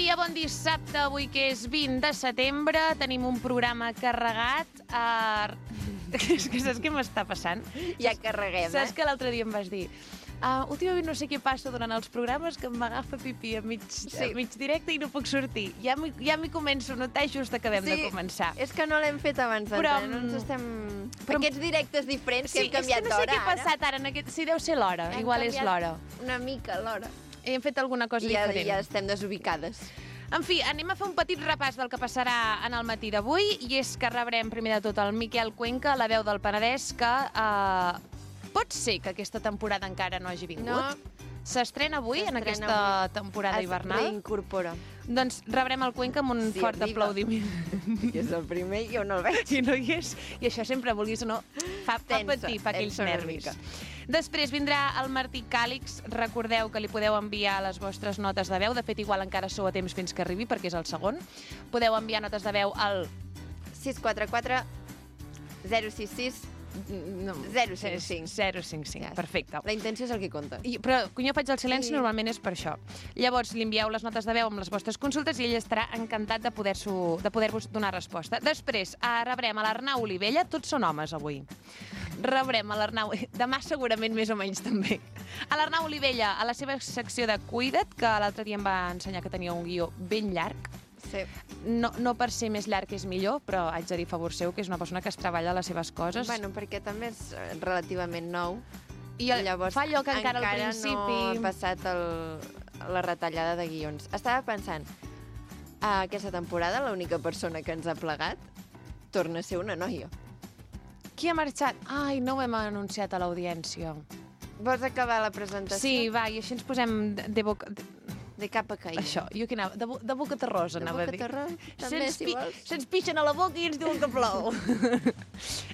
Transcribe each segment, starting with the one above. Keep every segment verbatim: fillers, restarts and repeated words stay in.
dia, bon dissabte, avui que és vint de setembre, tenim un programa carregat. Uh... és que saps què m'està passant? Ja carreguem, Saps eh? que l'altre dia em vas dir uh, últimament no sé què passa durant els programes que m'agafa pipí a mig, sí. a mig directe i no puc sortir. Ja m'hi ja començo a notar just que acabem sí, de començar. És que no l'hem fet abans però, d'entrar, no ens estem... Però, Aquests directes diferents sí, que hem canviat d'hora, ara. Sí, és que no sé què ha passat ara. En aquest... Sí, deu ser l'hora, igual és l'hora. Una mica l'hora. Hem fet alguna cosa I ja, diferent. ja estem desubicades. En fi, anem a fer un petit repàs del que passarà en el matí d'avui, i és que rebrem primer de tot el Miquel Cuenca, la veu del Penedès, que eh, pot ser que aquesta temporada encara no hagi vingut. No. S'estrena avui, en aquesta avui. temporada es hivernal. Es reincorpora. Doncs rebrem el Cuenca amb un sí, fort arriba. aplaudiment. Que és el primer, jo no el veig. I no hi és. I això sempre, vulguis o no, fa, fa tensa, patir, fa aquells nervis. Mica. Després vindrà el Martí Càlix. Recordeu que li podeu enviar les vostres notes de veu. De fet, igual encara sou a temps fins que arribi, perquè és el segon. Podeu enviar notes de veu al... sis quatre quatre zero sis sis No, zero cinc cinc. zero cinc cinc, perfecte. La intenció és el que compta. I, però quan jo faig el silenci, Sí. normalment és per això. Llavors, li envieu les notes de veu amb les vostres consultes i ell estarà encantat de poder-vos de poder donar resposta. Després, eh, rebrem a l'Arnau Olivella. Tots són homes, avui. Rebrem a l'Arnau... Demà segurament més o menys també. A l'Arnau Olivella, a la seva secció de Cuida't, que l'altre dia em va ensenyar que tenia un guió ben llarg. Sí. No, no per ser més llarg és millor, però haig de dir a favor seu que és una persona que es treballa les seves coses. Bueno, perquè també és relativament nou. I el, llavors fa allò que encara, encara al principi... no ha passat el, la retallada de guions. Estava pensant, a aquesta temporada l'única persona que ens ha plegat torna a ser una noia. Qui ha marxat? Ai, no ho hem anunciat a l'audiència. Vols acabar la presentació? Sí, va, i així ens posem de, de boca... De... De cap a caïda. Això, jo que anava, de, bo, de boca terrosa, de anava boca a dir. terrosa, també, Se'ns si pi vols. Se'ns pixen a la boca i ens diuen que plou.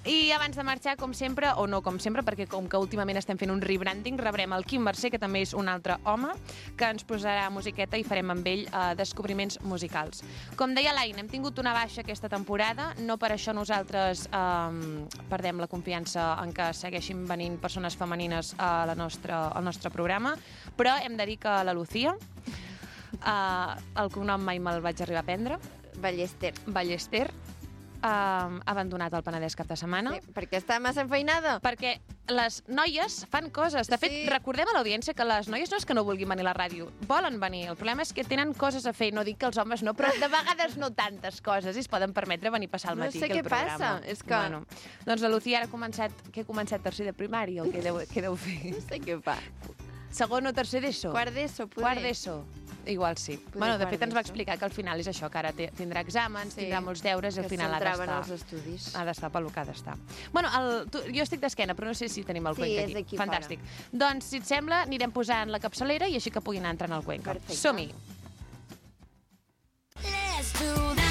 I abans de marxar, com sempre, o no com sempre, perquè com que últimament estem fent un rebranding, rebrem el Quim Mercè, que també és un altre home, que ens posarà musiqueta i farem amb ell eh, descobriments musicals. Com deia l'Aina, hem tingut una baixa aquesta temporada, no per això nosaltres eh, perdem la confiança en que segueixin venint persones femenines a la nostra, al nostre programa, però hem de dir que la Lucía, Uh, el cognom mai me'l vaig arribar a prendre. Ballester. Ballester. Uh, ha abandonat el Penedès cap de setmana. Sí, perquè està massa enfeinada. Perquè les noies fan coses. De fet, Sí. recordem a l'audiència que les noies no és que no vulguin venir a la ràdio, volen venir. El problema és que tenen coses a fer. No dic que els homes no, però de vegades no tantes coses i es poden permetre venir a passar el No matí sé que el què programa. passa, és que- Bueno, doncs la Lucía ara ha començat, que ha començat tercer de primària, el que deu, que deu fer. No sé què fa. Segon o tercer d'ESO? Quart d'ESO, poder. Quart d'ESO. Igual sí. Poder Bueno, de quart fet ens va d'ESO. explicar que al final és això, que ara té, tindrà exàmens, Sí, tindrà molts deures i al que final ha s'entraven d'estar... als estudis. Ha d'estar pel que ha d'estar. Bueno, el, tu, jo estic d'esquena, però no sé si tenim el Sí, Cuenca és aquí. aquí Fantàstic. Doncs, si et sembla, anirem posant la capçalera i així que puguin anar entrant al Cuenca. Perfecte. Som-hi. Let's do that.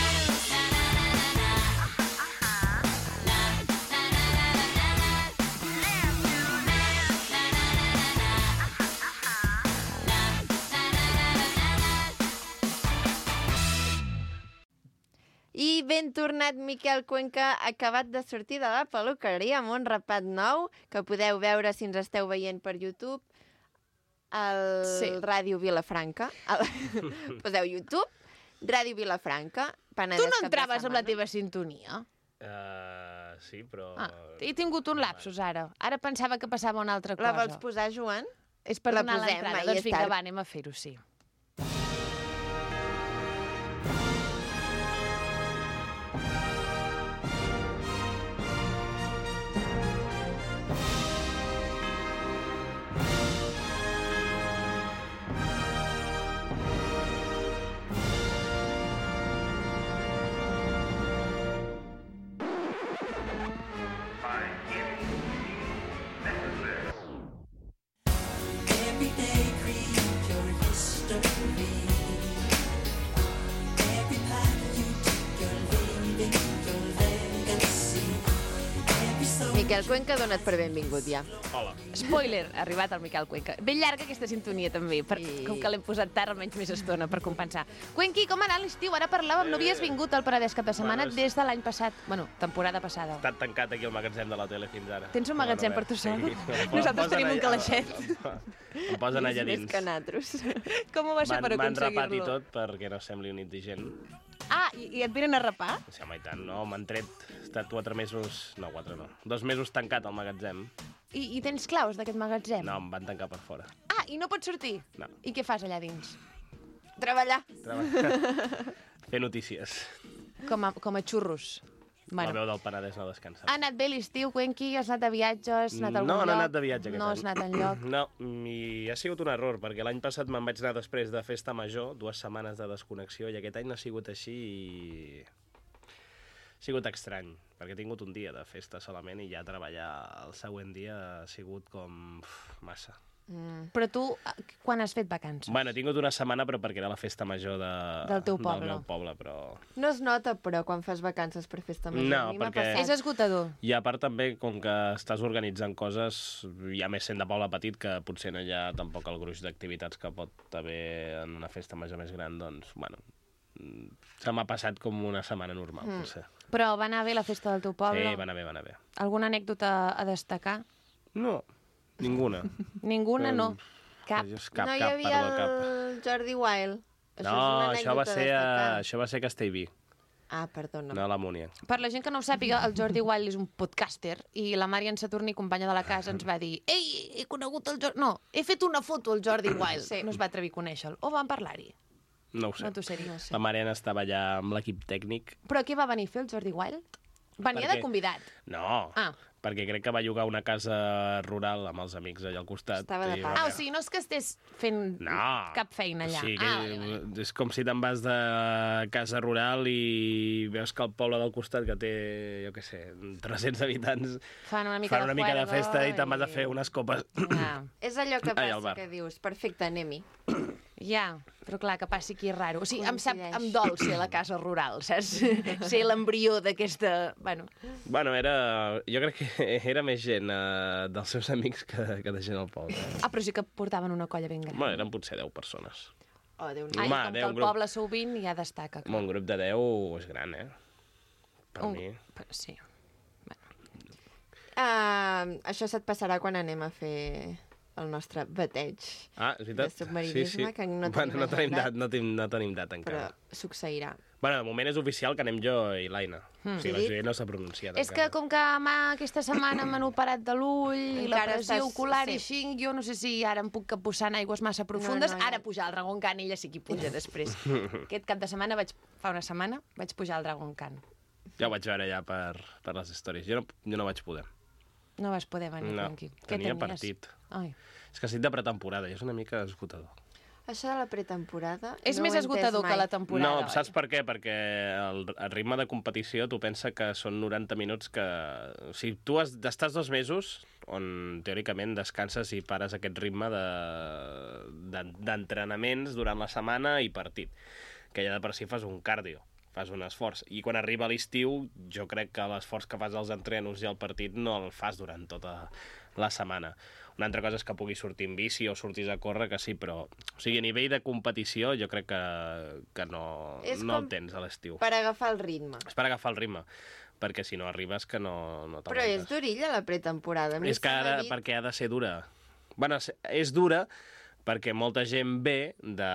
I ben tornat, Miquel Cuenca, acabat de sortir de la peluqueria amb un rapat nou, que podeu veure si ens esteu veient per YouTube, al Sí. Ràdio Vilafranca. El... Poseu YouTube, Ràdio Vilafranca, Penedès Tu no cap de entraves amb la setmana. teva sintonia? Uh, sí, però... Ah, he tingut un lapsus ara. Ara pensava que passava una altra cosa. La vols posar, Joan? És per La donar posem, l'entrada. mai Doncs és vinga, tard. va, anem a fer-ho, sí. Every day create your history. Miquel Cuenca, dona't per benvingut ja. Hola. Spoiler, ha arribat el Miquel Cuenca. Ben llarga aquesta sintonia també, per, I- com que l'hem posat tard almenys més estona per compensar. Cuenqui, com ha anat l'estiu? Ara parlàvem, no havies vingut al Penedès cap de setmana Bueno, és- des de l'any passat, bueno, temporada passada. He estat tancat aquí al magatzem de la tele fins ara. Tens un No, magatzem no, per tu sí. sol? Em Nosaltres posen tenim un allà- calaixet. Em posen allà Més dins. que natros. Com ho va ser M'han per m'han rapat i aconseguir-lo? tot perquè no sembli un indigent. Ah, i, i et venen a rapar? Sí, home, i tant, no? M'han tret... He estat quatre mesos... No, quatre no. Dos mesos tancat al magatzem. I, i tens claus d'aquest magatzem? No, em van tancar per fora. Ah, i no pots sortir? No. I què fas allà dins? Treballar. Treball... Fer notícies. Com a, com a xurros. La veu del Penedès no descansa. Ha anat bé l'estiu, Cuenqui? Has anat de viatge? Has anat a algun No, lloc? no he anat de viatge aquest No any. has anat enlloc? No, i ha sigut un error, perquè l'any passat me'n vaig anar després de festa major, dues setmanes de desconnexió, i aquest any no ha sigut així i... Ha sigut estrany, perquè he tingut un dia de festa solament i ja treballar el següent dia ha sigut com... Uf, massa. Mm. Però tu, eh, quan has fet vacances? Bueno, he tingut una setmana, però perquè era la festa major de... Del teu poble. Del meu poble, però... No es nota, però, quan fas vacances per festa major. No, A mi m'ha perquè- passat. És esgotador. I a part també, com que estàs organitzant coses, ja més sent de poble petit, que potser no hi ha tampoc el gruix d'activitats que pot haver en una festa major més gran, doncs, bueno, mm, se m'ha passat com una setmana normal, mm. potser. Però va anar bé la festa del teu poble? Sí, va anar bé, va anar bé. Alguna anècdota a destacar? No, ninguna. Ninguna, no. Cap. Just cap, no hi cap, havia perdó, cap. el Jordi Wild. Això No, és una això va anècdota ser, a, destacada. això va ser a Castellví, Ah, perdona. no a la Múnia. Per la gent que no ho sàpiga, el Jordi Wild és un podcaster i la Marian Saturni, companya de la casa, ens va dir «Ei, he conegut el Jordi...» No, he fet una foto al Jordi Wild. Sí. No es va atrevir a conèixer-lo. O van parlar-hi? No ho sé. No t'ho sé dir. No sé. La Mariana estava allà amb l'equip tècnic. Però què va venir a fer el Jordi Wild? Venia Per de què? convidat. No, Ah. perquè crec que va llogar una casa rural amb els amics allà al costat. Estava de i pas. va Ah, o veure- sigui, no és que estés fent No. cap feina allà. O sigui, Ah, vale, vale. és com si te'n vas de casa rural i veus que el poble del costat, que té, jo què sé, tres-cents habitants, Fan una mica fan de una mica de juerga festa i te'n vas a fer unes copes. Ja. És allò que Ai, al passa bar. que dius, perfecte, anem-hi. Ja, però clar, que passi aquí és raro. O sigui, em sap, Coincideix. em dol ser la casa rural, saps? Ser l'embrió d'aquesta... Bueno, Bueno, era... Jo crec que era més gent eh, dels seus amics que, que de gent al poble. ah, però sí que portaven una colla ben gran. Bueno, eren potser deu persones. Oh, Déu Ai, Home, com deu, que un el grup- poble sou vint, ja destaca. Home, un grup de deu és gran, eh? Per Un- mi. però Sí. Uh, això se't passarà quan anem a fer el nostre bateig. Ah, és veritat? De submarinisme, que no tenim bueno, no tenim agendat. dat, no tenim, no tenim dat Però encara. succeirà. Bueno, de moment és oficial que anem jo i l'Aina. Mm. O sigui, la Sí. Judit no s'ha pronunciat És que encara. com que m'ha, aquesta setmana m'han operat de l'ull i la Encara pressió estàs- ocular sí. i així, jo no sé si ara em puc capbussar en aigües massa profundes. No, no, ja. Ara pujar al Dragon Khan, ella sí que hi puja després. Aquest cap de setmana, vaig, fa una setmana, vaig pujar al Dragon Khan. Ja ho vaig veure ja per, per les històries. Jo no, jo no vaig poder. No vas poder venir, No, tranqui. Què tenia tenies? partit. Ai. És que estic de pretemporada i és una mica esgotador. Això de la pretemporada... És no més ho he entès esgotador que mai. la temporada. No, saps per què? Perquè el, el ritme de competició, tu pensa que són noranta minuts que... O sigui, tu has, estàs dos mesos on teòricament descanses i pares aquest ritme de- de- d'entrenaments durant la setmana i partit. Que ja de per si fas un cardio, fas un esforç. I quan arriba l'estiu, jo crec que l'esforç que fas als entrenos i al partit no el fas durant tota la setmana. Una altra cosa és que puguis sortir en bici o sortis a córrer, que sí, però... O sigui, a nivell de competició jo crec que, que no, És no com el tens a l'estiu. Per agafar el ritme. És per agafar el ritme, perquè si no arribes que no, no Però és t'aguantes. durilla la pretemporada. A mi És que se m'ha ara, dit- perquè ha de ser dura. Bueno, és dura perquè molta gent ve de,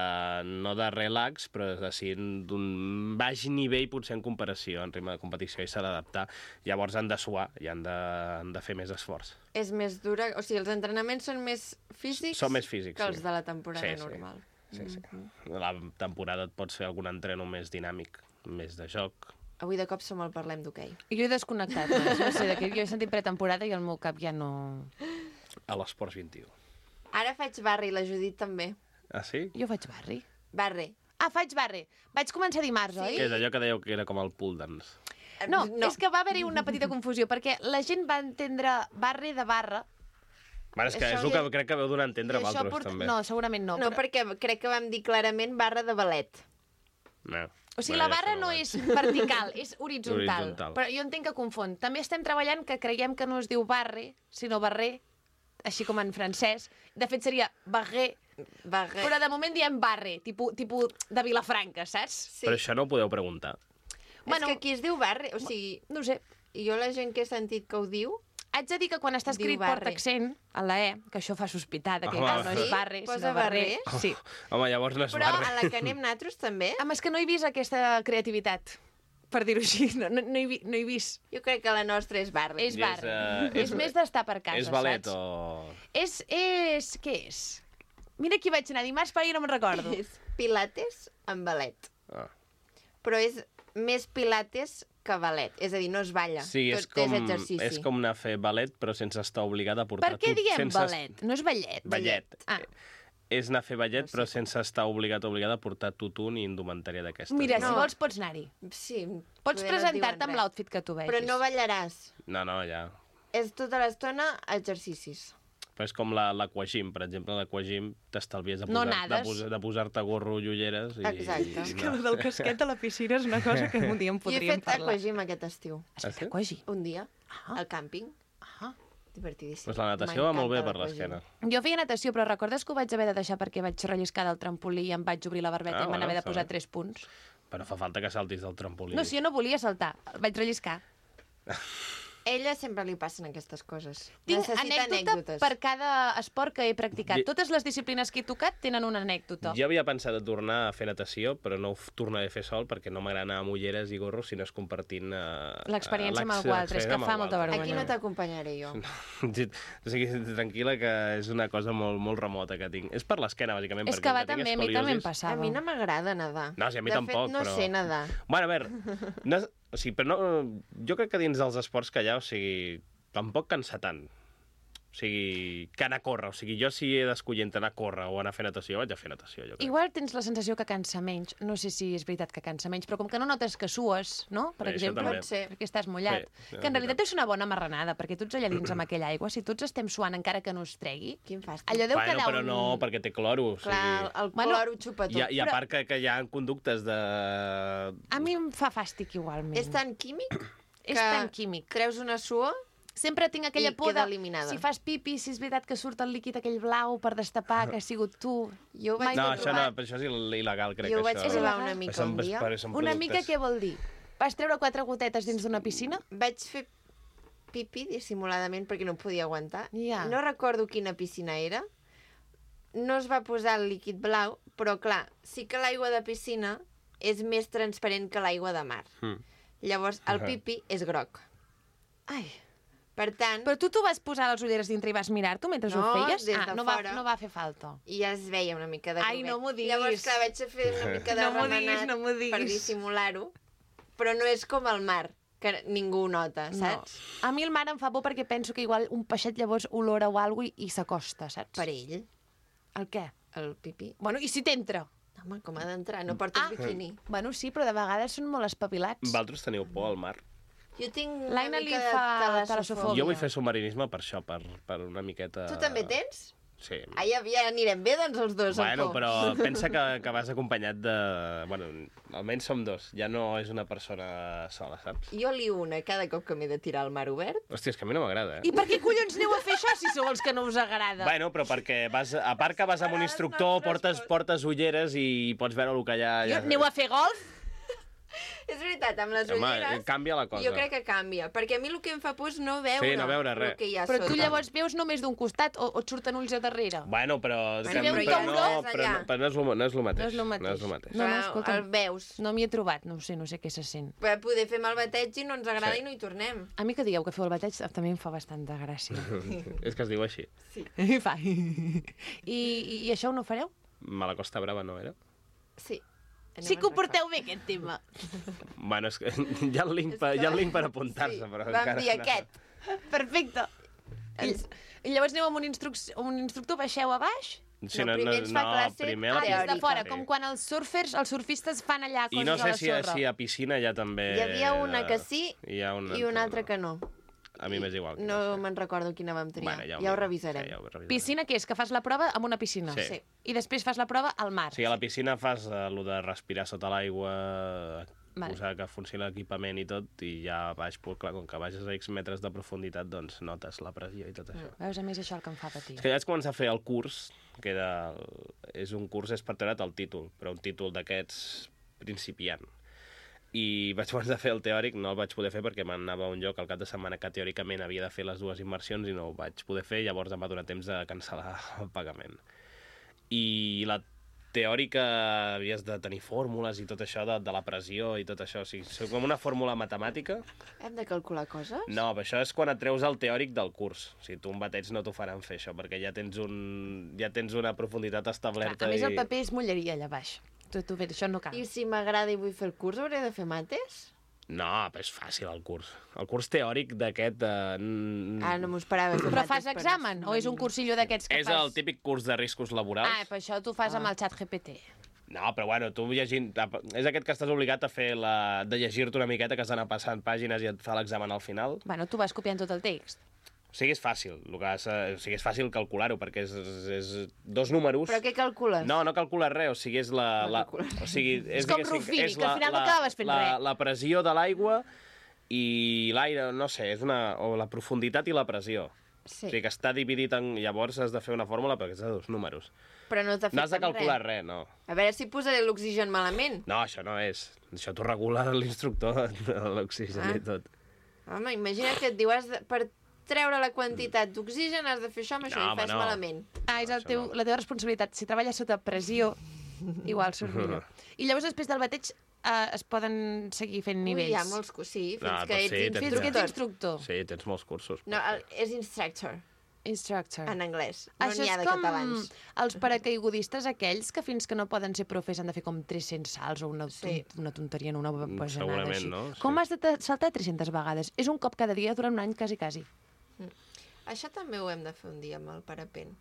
no de relax, però de si d'un baix nivell potser en comparació, en ritme de competició, i s'ha d'adaptar. Llavors han de suar i han de, han de fer més esforç. És més dura... O sigui, els entrenaments són més físics, Són més físics, que els sí. de la temporada Sí, sí. normal. Sí, sí. La temporada et pots fer algun entreno més dinàmic, més de joc. Avui de cop som al Parlem d'hoquei. Jo he desconnectat, no, no sé de què. Jo he sentit pretemporada i el meu cap ja no... A l'Esports vint-i-u. Ara faig barri, la Judit també. Ah, sí? Jo faig barri. Barri. Ah, faig barri. Vaig començar dimarts, Sí. oi? Que és allò que dèieu que era com el pool dance. No, no, és que va haver-hi una petita confusió, perquè la gent va entendre barri de barra. Bueno, és que Això és el que ja- crec que veu donar a entendre i això vosaltres, també. No, segurament no. No, però... perquè crec que vam dir clarament barra de ballet. No. O sigui, Bueno, la barra això no no ho és vertical, és horitzontal. Horitzontal. Però jo entenc que confon. També estem treballant que creiem que no es diu barre, sinó barrer, així com en francès. De fet, seria barrer, Barre. però de moment diem barre, tipus, tipus de Vilafranca, saps? Sí. Però això no ho podeu preguntar. Bueno, És que aquí es diu barre, o sigui, no ho sé. jo la gent que he sentit que ho diu, Haig de dir que quan està Diu escrit barre. porta accent, a la E, que això fa sospitar, que Home, cal, no sí? és barre, Posa sinó barrer. barrer? Sí. Home, llavors no és però barre. a la que anem nosaltres també, Home, és que no he vist aquesta creativitat, per dir-ho així. No, no, no, he, vi- no he vist. jo crec que la nostra és barre. És I és, barre. eh, És, és- més d'estar per casa, És ballet saps? o... És, és... Què és? Mira qui vaig anar dimarts, però jo no me'n recordo. És pilates amb ballet. Ah. Però és més pilates que ballet. És a dir, no es balla. Sí, és Tot com, és exercici. és com anar a fer ballet, però sense estar obligada a portar... Per què tu- diem sense... ballet? No és ballet? Ballet. Ah. És anar a fer ballet, No sé. però sense estar obligat o obligada a portar tutú ni indumentària d'aquestes. Mira, No. si vols pots anar-hi. Sí. Pots poder no et presentar-te diuen amb res. l'outfit que tu vegis. Però no ballaràs. No, no, ja. És tota l'estona exercicis. Però és com la- l'aquagym, per exemple. L'aquagym t'estalvies de, No posar, de, nades. posar, de posar-te gorro i ulleres. I, Exacte. I, És Que el del casquet a la piscina és una cosa que un dia en Jo he podríem fet parlar. aquagym aquest estiu. Has Ah, fet sí? aquagi? Un dia, Ah. al càmping. Ah. Divertidíssim. Pues la natació va molt bé per M'encanta l'esquena. l'aquagym. Jo feia natació, però recordes que ho vaig haver de deixar perquè vaig relliscar del trampolí i em vaig obrir la barbeta Ah, i em van bueno, haver de està posar bé. tres punts? Però fa falta que saltis del trampolí. No, si jo no volia saltar, el vaig relliscar. Ella sempre li passen aquestes coses. Tinc Necessita anècdota anècdotes. per cada esport que he practicat. I- Totes les disciplines que he tocat tenen una anècdota. Jo havia pensat de tornar a fer natació, però no ho f- tornaré a fer sol perquè no m'agrada anar amb ulleres i gorros si no és compartint... Uh, L'experiència amb algú altre, és que fa molta vergonya. Aquí no t'acompanyaré jo. O sigui, tranquil·la que és una cosa molt, molt remota que tinc. És per l'esquena, bàsicament. És perquè que va com tinc també, a mi també em escoliosis- passava. A mi no m'agrada nedar. No, sí, a mi de tampoc, fet, no però- sé nedar. Bueno, a veure, no, és- o sigui, però no, jo crec que dins dels esports que hi ha, o sigui, tampoc cansa tant. O sigui, que anar a córrer. O sigui, jo si he d'escollir entre anar a córrer o anar a fer natació, vaig a fer natació, jo crec. Igual tens la sensació que cansa menys. No sé si és veritat que cansa menys, però com que no notes que sues, no? Per Bé, això exemple, també. Pot ser. perquè estàs mullat. Sí, sí, que en és realitat és una bona marranada, perquè tots allà dins amb aquella aigua, si tots estem suant encara que no es tregui, Quin fàstic. allò deu Bueno, quedar però un... no, perquè té cloro. O sigui, Clar, el Bueno, cloro ho xupa tot. I, a- I a però- part que, que hi ha conductes de... A mi em fa fàstic igualment. És tan químic És que tan químic. treus una suor. Sempre tinc aquella I por queda de... eliminada. Si fas pipi, si és veritat que surt el líquid aquell blau per destapar, que ha sigut tu. Jo ho vaig No, provar. això no, però això és il- il·legal, crec Jo ho que vaig això. provar És una il·legal. mica Són- un dia. són Una mica productes. què vol dir? Vas treure quatre gotetes dins d'una piscina? Vaig fer pipi dissimuladament perquè no em podia aguantar. Ja. No recordo quina piscina era. No es va posar el líquid blau, però clar, sí que l'aigua de piscina és més transparent que l'aigua de mar. Mm. Llavors, el Ahà. pipi és groc. Ai. Per tant, Però tu t'ho vas posar les ulleres dintre i vas mirar-t'ho mentre No, ho feies? des ah, de no va, fora. no va fer falta. i ja es veia una mica de Ai, groguet. no m'ho diguis. Llavors, clar, vaig fer una mica de No m'ho remenat diguis, no m'ho diguis. per dissimular-ho, però no és com el mar, que ningú ho nota, saps? No. A mi el mar em fa por perquè penso que igual un peixet llavors olora o alguna cosa i, i s'acosta, saps? Per ell, El què? el pipí. Bueno, i si t'entra? Home, com ha d'entrar? No portes Ah. biquini. Bueno, sí, però de vegades són molt espavilats. Vosaltres teniu por al mar? Jo tinc una L'Aina li mica de fa talassofòbia. talassofòbia. Jo vull fer submarinisme per això, per, per una miqueta... Tu també tens? Sí. Ai, ja, ja anirem bé, doncs, els dos. Bueno, amb por. però pensa que, que vas acompanyat de... Bueno, almenys som dos. Ja no és una persona sola, saps? Jo lio una cada cop que m'he de tirar al mar obert. Hòstia, és que a mi no m'agrada, eh? I per què collons aneu a fer això si sou els que no us agrada? Bueno, però perquè vas, a part que vas amb un instructor, portes, portes ulleres i pots veure el que hi ha... Jo, aneu a fer golf? És veritat, amb les Home, ulleres... canvia la cosa. Jo crec que canvia, perquè a mi el que em fa por és no veure, Sí, no veure el res. que hi ha Però sota. tu llavors veus només d'un costat o, o et surten ulls a darrere? Bueno, però... Bueno, que- però però, hi ha no, olors però, allà. no, però no, és lo, no és lo mateix. No és lo mateix. No és lo mateix. No, no, Clar, escolta'm. el veus. No m'hi he trobat, no ho sé, no sé què se sent. Per poder fer el bateig i no ens agrada Sí. i no hi tornem. A mi que digueu que feu el bateig també em fa bastant de gràcia. És que es diu així. I fa. I, i, I això ho no fareu? Me la Costa Brava no era? Sí. Sí que ho porteu bé, aquest tema. Bueno, és que hi ha el link per, hi ha el link per apuntar-se, Sí, però vam encara... dir aquest. Perfecte. I, Ens... I llavors aneu amb un, instruc un instructor, baixeu a baix? Sí, No, primer ens fa classe primer a Ah, la des de teòrica. fora, Sí. com quan els surfers, els surfistes fan allà coses I no sé a la si, a- sorra. si a piscina ja també... Hi havia una que sí hi ha una i una altra que no. A mi m'és igual. No me'n recordo quina vam triar. Bueno, ja ho ja ho miro. revisarem. Sí, ja ho revisarem. Piscina, què és? Que fas la prova amb una piscina? Sí. Sí. I després fas la prova al mar? O sigui, a la piscina fas eh, el de respirar sota l'aigua, Vale. posar que funcioni l'equipament i tot, i ja baix, pues, clar, com que baixes a X metres de profunditat, doncs notes la pressió i tot això. Veus, a més, això el que em fa patir. És que ja vaig començar a fer el curs, que era... El... És un curs, és per treure't el títol, però un títol d'aquests principiant. I vaig començar a fer el teòric, no el vaig poder fer perquè m'anava a un lloc al cap de setmana que teòricament havia de fer les dues immersions i no ho vaig poder fer, llavors em va donar temps de cancel·lar el pagament. I la teòrica havies de tenir fórmules i tot això de, de la pressió i tot això, o sigui, és com una fórmula matemàtica. Hem de calcular coses? No, però això és quan et treus el teòric del curs. O sigui, tu un bateig no t'ho faran fer això, perquè ja tens, un, ja tens una profunditat establerta. A més, el i... paper és mulleria allà baix. Tu, tu, això no cal. I si m'agrada i vull fer el curs, hauré de fer mates? No, però és fàcil el curs. El curs teòric d'aquest... Eh... Ah, no m'ho esperava. Fer Però mates fas per examen? O és un cursillo d'aquests que És fas... el típic curs de riscos laborals. Ah, per això tu fas amb el xat G P T. No, però bueno, tu llegint... És aquest que estàs obligat a fer la... de llegir-te una miqueta, que has d'anar passant pàgines i et fa l'examen al final. Bueno, tu vas copiant tot el text. O sigui, és fàcil. El que has... O sigui, és fàcil calcular-ho, perquè és, és dos números... Però què calcules? No, no calcules res, o sigui, és la... No la... calcules. O sigui, és, És com diguéssim, Rufini, és que al final no acabes fent la, res. La pressió de l'aigua i l'aire, no sé, és una... o la profunditat i la pressió. Sí. O sigui, que està dividit en... Llavors has de fer una fórmula perquè és de dos números. Però no t'ha fet No has de calcular res, no. A veure si posaré l'oxigen malament. No, això no és. Això t'ho regula l'instructor de l'oxigen Ah. i tot. Home, imagina que et diu, has de, per treure la quantitat d'oxigen has de fer això amb això No, i home, fas no. malament. Ah, és el Això teu, no. la teva responsabilitat. Si treballes sota pressió, igual surt millor. I llavors, després del bateig, eh, es poden seguir fent nivells. Ui, hi ha molts cursos, sí, fins Ah, que doncs ets sí, tens- Fins que ets instructor. instructor. Sí, tens molts cursos. No, el, és instructor, Instructor. en anglès. No Això n'hi ha és de com catalans. els paracaigudistes aquells que fins que no poden ser profes han de fer com tres-cents salts o una, Sí. una tonteria en una bajanada segurament, així. no? Sí. Com has de ta- saltar tres-centes vegades? És un cop cada dia durant un any, quasi, quasi. Això també ho hem de fer un dia amb el parapent.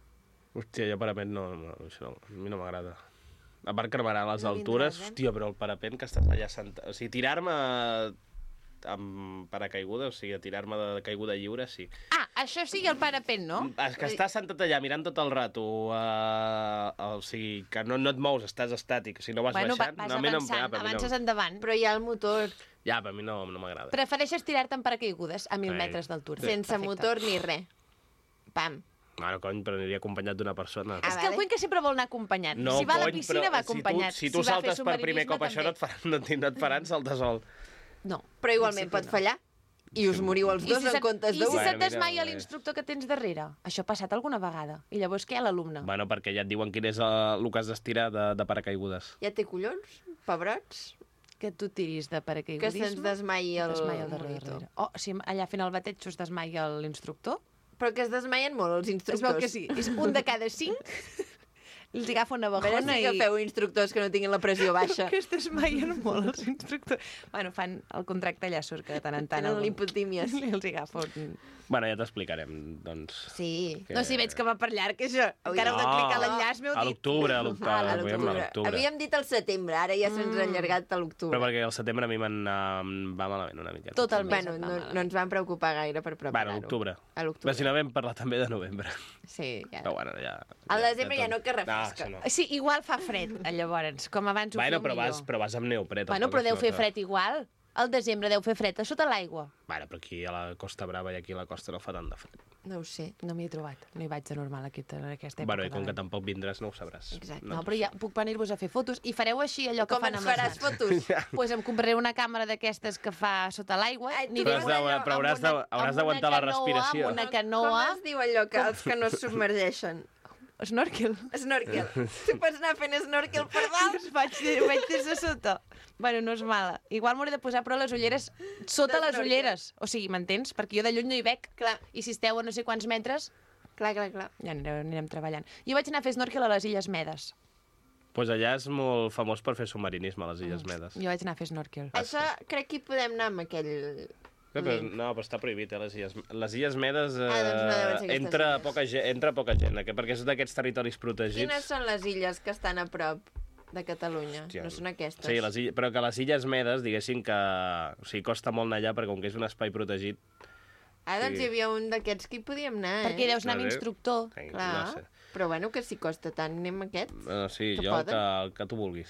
Hòstia, jo parapent no, no, això no, a mi no m'agrada. A part cremarar a les No altures, vindràs, eh? hòstia, però el parapent que estàs allà sentat... O sigui, tirar-me amb paracaiguda, o sigui, tirar-me de caiguda lliure, sí. Ah, això sí, el parapent, no? És que estàs sentat allà mirant tot el rato, uh, o sigui, que no, no et mous, estàs estàtic, si no vas Bueno, va- baixant... vas no, a mi no, avançant, ja, per mi avances no, endavant. Però hi ha el motor, ja, per mi no, no m'agrada. Prefereixes tirar-te en paracaigudes a mil Sí. metres d'altura. sense Perfecte. motor ni res. Pam. Bueno, cony, però aniria acompanyat d'una persona. Ah, És que el vale. Cuenca sempre vol anar acompanyat. No, si va a la cony, piscina, però va acompanyat. Si tu, si tu va a fer saltes per primer cop, això no et, faran, no, et- no et faran saltar sol. No. Però igualment pot fallar. I us moriu els I dos si en se't- comptes I d'un. si Bueno, se't desmaia mira, l'instructor que tens darrere? Això ha passat alguna vegada. I llavors què, l'alumne? Bueno, perquè ja et diuen quin és el, el que has d'estirar de, de paracaigudes. Ja té collons, pebrots, Que tu tiris de que paracaigudisme. se'ns desmai el, desmaia el darrere. monitor. darrere. Oh, si allà fent el bateig us desmaia l'instructor? Però que es desmaien molt els Es instructors. veu que sí. És un de cada cinc. Els agafa una A veure bajona si i... agafeu instructors que no tinguin la pressió baixa. Que es desmaien molt els instructors. Bueno, fan el contracte allà surt que de tant en tant... Tenen algun- lipotímies. I els agafa un... Bueno, ja t'explicarem, doncs... Sí. Que- No, si veig que va per llarg, això. Encara heu de No. clicar l'enllaç, m'heu A dit. l'octubre, a l'octubre. Ah, a a l'octubre. l'octubre. Havíem dit al setembre, ara ja se'ns ha allargat a Però l'octubre. perquè al setembre a mi me'n em va malament una mica. Tot el mes. Bueno, et va no, malament. no ens vam preocupar gaire per Bueno, preparar-ho. a l'octubre. A Però l'octubre. si no vam parlar també de novembre. Sí, ja. Però bueno, ja... Al desembre ja no, que No, refresca. això no. Sí, igual fa fred, llavors. Com abans ho Bueno, feu però millor. vas, però vas amb neoprè. Bueno, tampoc però deu es fer nota. fred igual. Al desembre deu fer fred a sota l'aigua. Bueno, però aquí a la Costa Brava i aquí a la costa no fa tant de fred. No ho sé. No m'hi he trobat. No hi vaig de normal aquí, en aquesta època. Bueno, i com de que l'any. tampoc vindràs no ho sabràs. Exacte. No, però ja puc venir-vos a fer fotos i fareu així allò que Com fan ens amb les faràs mans. fotos? Ja. Pues em compraré una càmera d'aquestes que fa sota l'aigua. Ai, tu aniré Però has dius de- allò però amb hauràs de- una- hauràs amb d'aguantar una la canoa, respiració. Amb una Com canoa. es diu allò que els que no es submergeixen? Snorkel. Snorkel. Tu pots anar fent snorkel per dalt? Us vaig, vaig des de sota. Bueno, no és mala. Igual m'hauré de posar, però, les ulleres sota De les snorkel. ulleres. O sigui, m'entens? Perquè jo de lluny no hi veig. Clar, I si esteu a no sé quants metres, clar, clar, clar. ja anirem, anirem treballant. Jo vaig anar a fer snorkel a les Illes Medes. Pues allà és molt famós per fer submarinisme, a les Illes Medes. Jo vaig anar a fer snorkel. Això crec que hi podem anar amb aquell... Bé, però, link. no, però està prohibit, eh, les Illes, les illes Medes eh, Ah, doncs no deuen ser aquestes entra, illes. poca gent, entra poca gent, eh, perquè és d'aquests territoris protegits. Quines són les illes que estan a prop de Catalunya? Hòstia, No són aquestes? Sí, les illes, però que les Illes Medes, diguéssim que... O sigui, costa molt anar allà, perquè com que és un espai protegit, Ah, doncs Sí. hi havia un d'aquests que hi podíem anar, eh? Perquè hi deus anar No amb sé. instructor. Sí, Clar, no sé. però bueno, que si costa tant, anem a aquest. Bueno, sí, Que jo el poden? que, el que tu vulguis.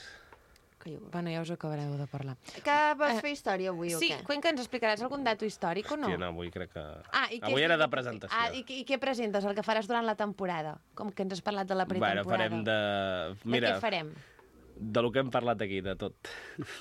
Que, jo... Bueno, ja us acabareu de parlar. que vols Eh, fer història avui Sí, o què? Cuenca, ens explicaràs algun dato històric o no? Hòstia, no, avui crec que... Ah, i què avui és era el de que- presentació. Ah, i, què- i què presentes? El que faràs durant la temporada? Com que ens has parlat de la pretemporada. Bueno, farem de... De Mira, què farem? de lo que hem parlat aquí, de tot.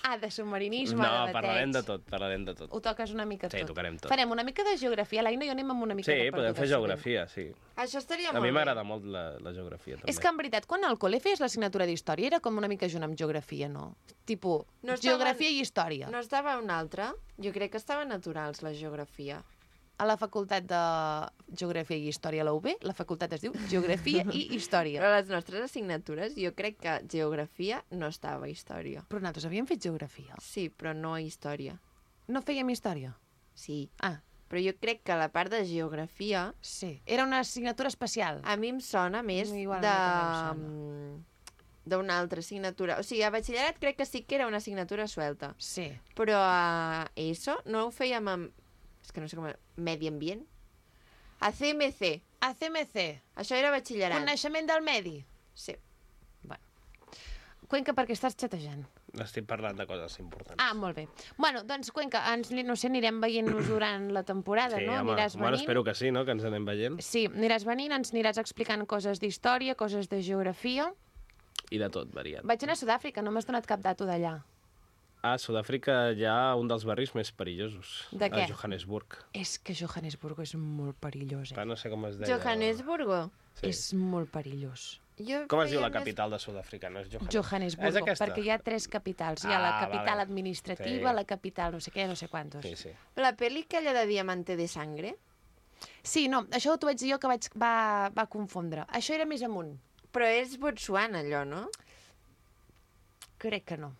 Ah, de submarinisme, No, de bateig. parlarem de tot, parlarem de tot. Ho toques una mica Sí, tot. tocarem tot. Farem una mica de geografia. L'Aina i jo anem amb una mica Sí, de podem fer perdudes geografia, sí. Això estaria A molt mi bé. m'agrada molt la, la geografia, també. És que, en veritat, quan al col·le feies l'assignatura d'història era com una mica junt amb geografia, no? Tipo, No estaven- geografia i història. No estava una altra? Jo crec que estaven naturals, la geografia. A la facultat de Geografia i Història a la U B, la facultat es diu Geografia i Història. Però a les nostres assignatures jo crec que geografia no estava a història. Però nosaltres havíem fet geografia. Sí, però no a història. No fèiem història? Sí, Ah, però jo crec que la part de geografia sí. Era una assignatura especial. a mi em sona més Igual a de... mi també em mm, d'una altra assignatura. O sigui, a batxillerat crec que sí que era una assignatura suelta. Sí. Però a ESO no ho fèiem amb... És que no sé com... Medi ambient? A C M C. A C M C, Això era batxillerat. coneixement del medi. Sí. Cuenca, perquè estàs xatejant. Estic parlant de coses importants. Ah, molt bé. Bueno, doncs, Cuenca, ens, no sé, anirem veient-nos durant la temporada, sí, no? home, Aniràs bueno, venint. espero que sí, no?, que ens anem veient. Sí, aniràs venint, ens aniràs explicant coses d'història, coses de geografia. I de tot, variat. Vaig anar a Sud-àfrica, no m'has donat cap dato d'allà. A Sud-àfrica hi ha un dels barris més perillosos. De què? A Johannesburg. És que Johannesburg és molt perillós, eh? Ah, no sé com es deia. Johannesburgo. Sí. És molt perillós. Jo Com es diu feia la més- capital de Sud-àfrica? No és Johannesburg. Johannesburg, És aquesta? perquè hi ha tres capitals. Hi ha la Ah, capital vale. administrativa, Sí. la capital no sé què, no sé quantos. Sí, sí. La pel·li aquella de Diamante de Sangre, Sí, no, això t'ho vaig dir jo que vaig, va, va confondre. Això era més amunt. però és Botswana, allò, no? Crec que no.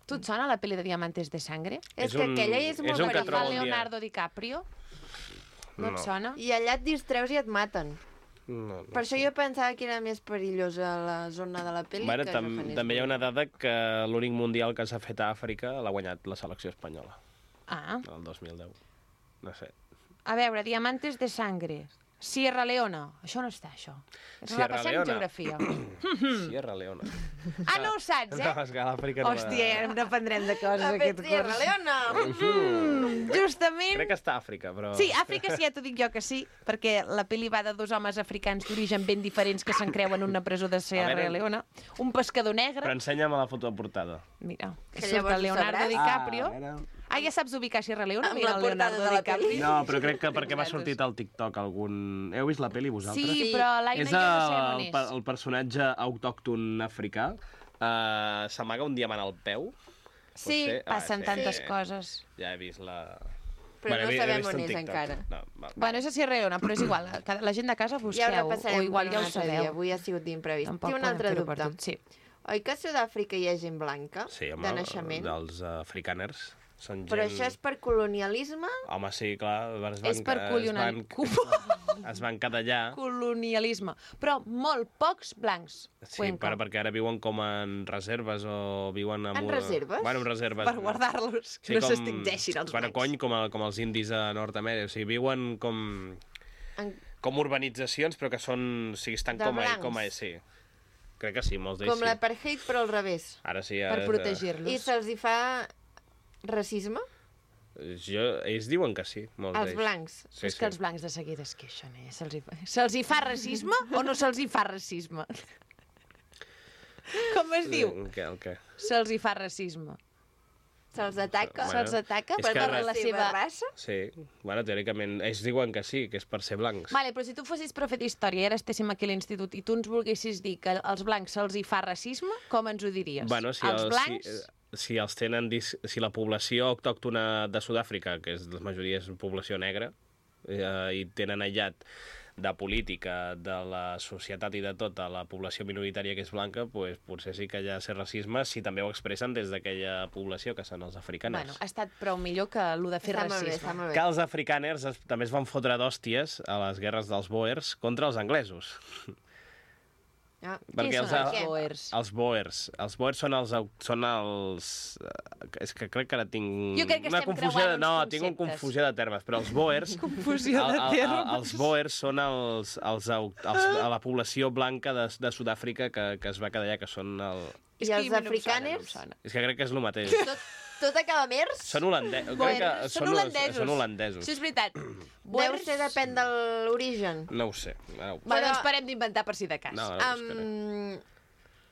Tu et sona la pel·li de Diamantes de Sangre? És, És que un- aquella és és molt un que Que fa trobo un dia. Leonardo DiCaprio? No, No. et sona? I allà et distreus i et maten. No, no Per això jo pensava que era més perillosa la zona de la pel·li Bueno, que tam Johannesburg. també hi ha una dada que l'únic mundial que s'ha fet a Àfrica l'ha guanyat la selecció espanyola, Ah, el dos mil deu. No sé. a veure, Diamantes de Sangre. Sierra Leona. Això no està, això. Ens Sierra repassem Leona. geografia. Sierra Leona. Ah, no ho saps, eh? No, és que a l'Àfrica no... Hòstia, n'aprendrem de coses Ha fet aquest Sierra curs. Leona! Mm, justament... Crec que està a Àfrica, però... Sí, Àfrica sí, ja t'ho dic jo que sí, perquè la pel·li va de dos homes africans d'origen ben diferents que s'encreuen en una presó de Sierra A veure. Leona. Un pescador negre... Però ensenya'm la foto de portada. Mira, Que surt llavors el Leonardo ho sabràs. DiCaprio. Ah, a veure. Ah, ja saps ubicar Sierra Leona? Amb Mira la el portada Leonardo de la DiCaprio. pel·li. No, però crec que perquè m'ha sortit al TikTok algun... Heu vist la pel·li, vosaltres? Sí, Sí. però l'Aina És i jo no sabem el, on el, és. el personatge autòcton africà. Uh, S'amaga un diamant al peu. Sí, Potser- ah, passen sí. tantes Sí. coses. Ja he vist la... Però no he vi- he sabem vist on un és TikTok. encara. No, val. Bueno, és a Sierra Leona, però és igual. que La gent de casa Ja ho busqueu, o repassarem igual per ja un ho altre dia. sabeu. Avui ha sigut d'imprevist. Tampoc Té un podem altre fer-ho per dubte. tot, sí. Oi que a Sud-àfrica hi ha gent blanca Sí, home, de naixement? dels uh, africaners. Són gent... Però això és per colonialisme? Home, sí, clar. Es van, És per es colonial... van, es van quedar allà. colonialisme. Però molt pocs blancs. Sí, Cuenca. per, perquè ara viuen com en reserves o viuen... En, En una- reserves? Bueno, en reserves. Per guardar-los, que no s'extingeixin els Bueno, blancs. cony, com, a, com els indis a Nord-Amèrica. O sigui, viuen com... En... com urbanitzacions, però que són... O sigui, estan De com a, blancs. com a... Sí. Crec que sí, molts d'ells Com sí. l'apartheid, però al revés. Ara sí, Per ara... protegir-los. I se'ls hi fa racisme? Jo, ells diuen que sí, molts Els d'ells. blancs. Sí, És que els blancs de seguida es queixen, eh? Se'ls hi, fa... Se'ls hi fa racisme o no se'ls hi fa racisme? Com es diu? El què, el què? Se'ls hi fa racisme. Se'ls ataca? Bueno, Se'ls ataca és per que per ara- la seva... raça? Sí, bueno, teòricament, ells diuen que sí, que és per ser blancs. Vale, però si tu fossis profe d'història i ara estéssim aquí a l'institut i tu ens volguessis dir que als blancs se'ls hi fa racisme, com ens ho diries? Bueno, si, als el, blancs... si, eh, si els tenen... dis- Si la població autòctona de Sud-àfrica, que és la majoria és població negra, eh, i tenen aïllat de política, de la societat i de tot a la població minoritària que és blanca, pues, potser sí que hi ha cert racisme si també ho expressen des d'aquella població, que són els africaners. Bueno, ha estat prou millor que el de fer Està molt bé, racisme. està molt Que bé. els africaners es, també es van fotre d'hòsties a les guerres dels Boers contra els anglesos. Ah. Perquè Qui els, són els el- boers? Els boers. Els boers són els... au- Són els eh, és que crec que ara tinc... Jo crec que una estem confusió creuant de, uns No, conceptes. tinc una confusió de termes, però els boers... Confusió de el- el- termes. el- Els boers són els, els, au- els, a la població blanca de, de Sud-àfrica que, que es va quedar allà, que són el... I És que els a mi no em sona, no em africaners? sona. És que crec que és el mateix. Tot, tot a calamers? Són holandesos. Boers, Crec que són holandesos. Són holandesos. Això és veritat. Deu Boers... ser depèn de l'origen. No ho sé. Ara ho... Bueno, Però- doncs parem d'inventar per si de cas. No, no ho buscaré. Um,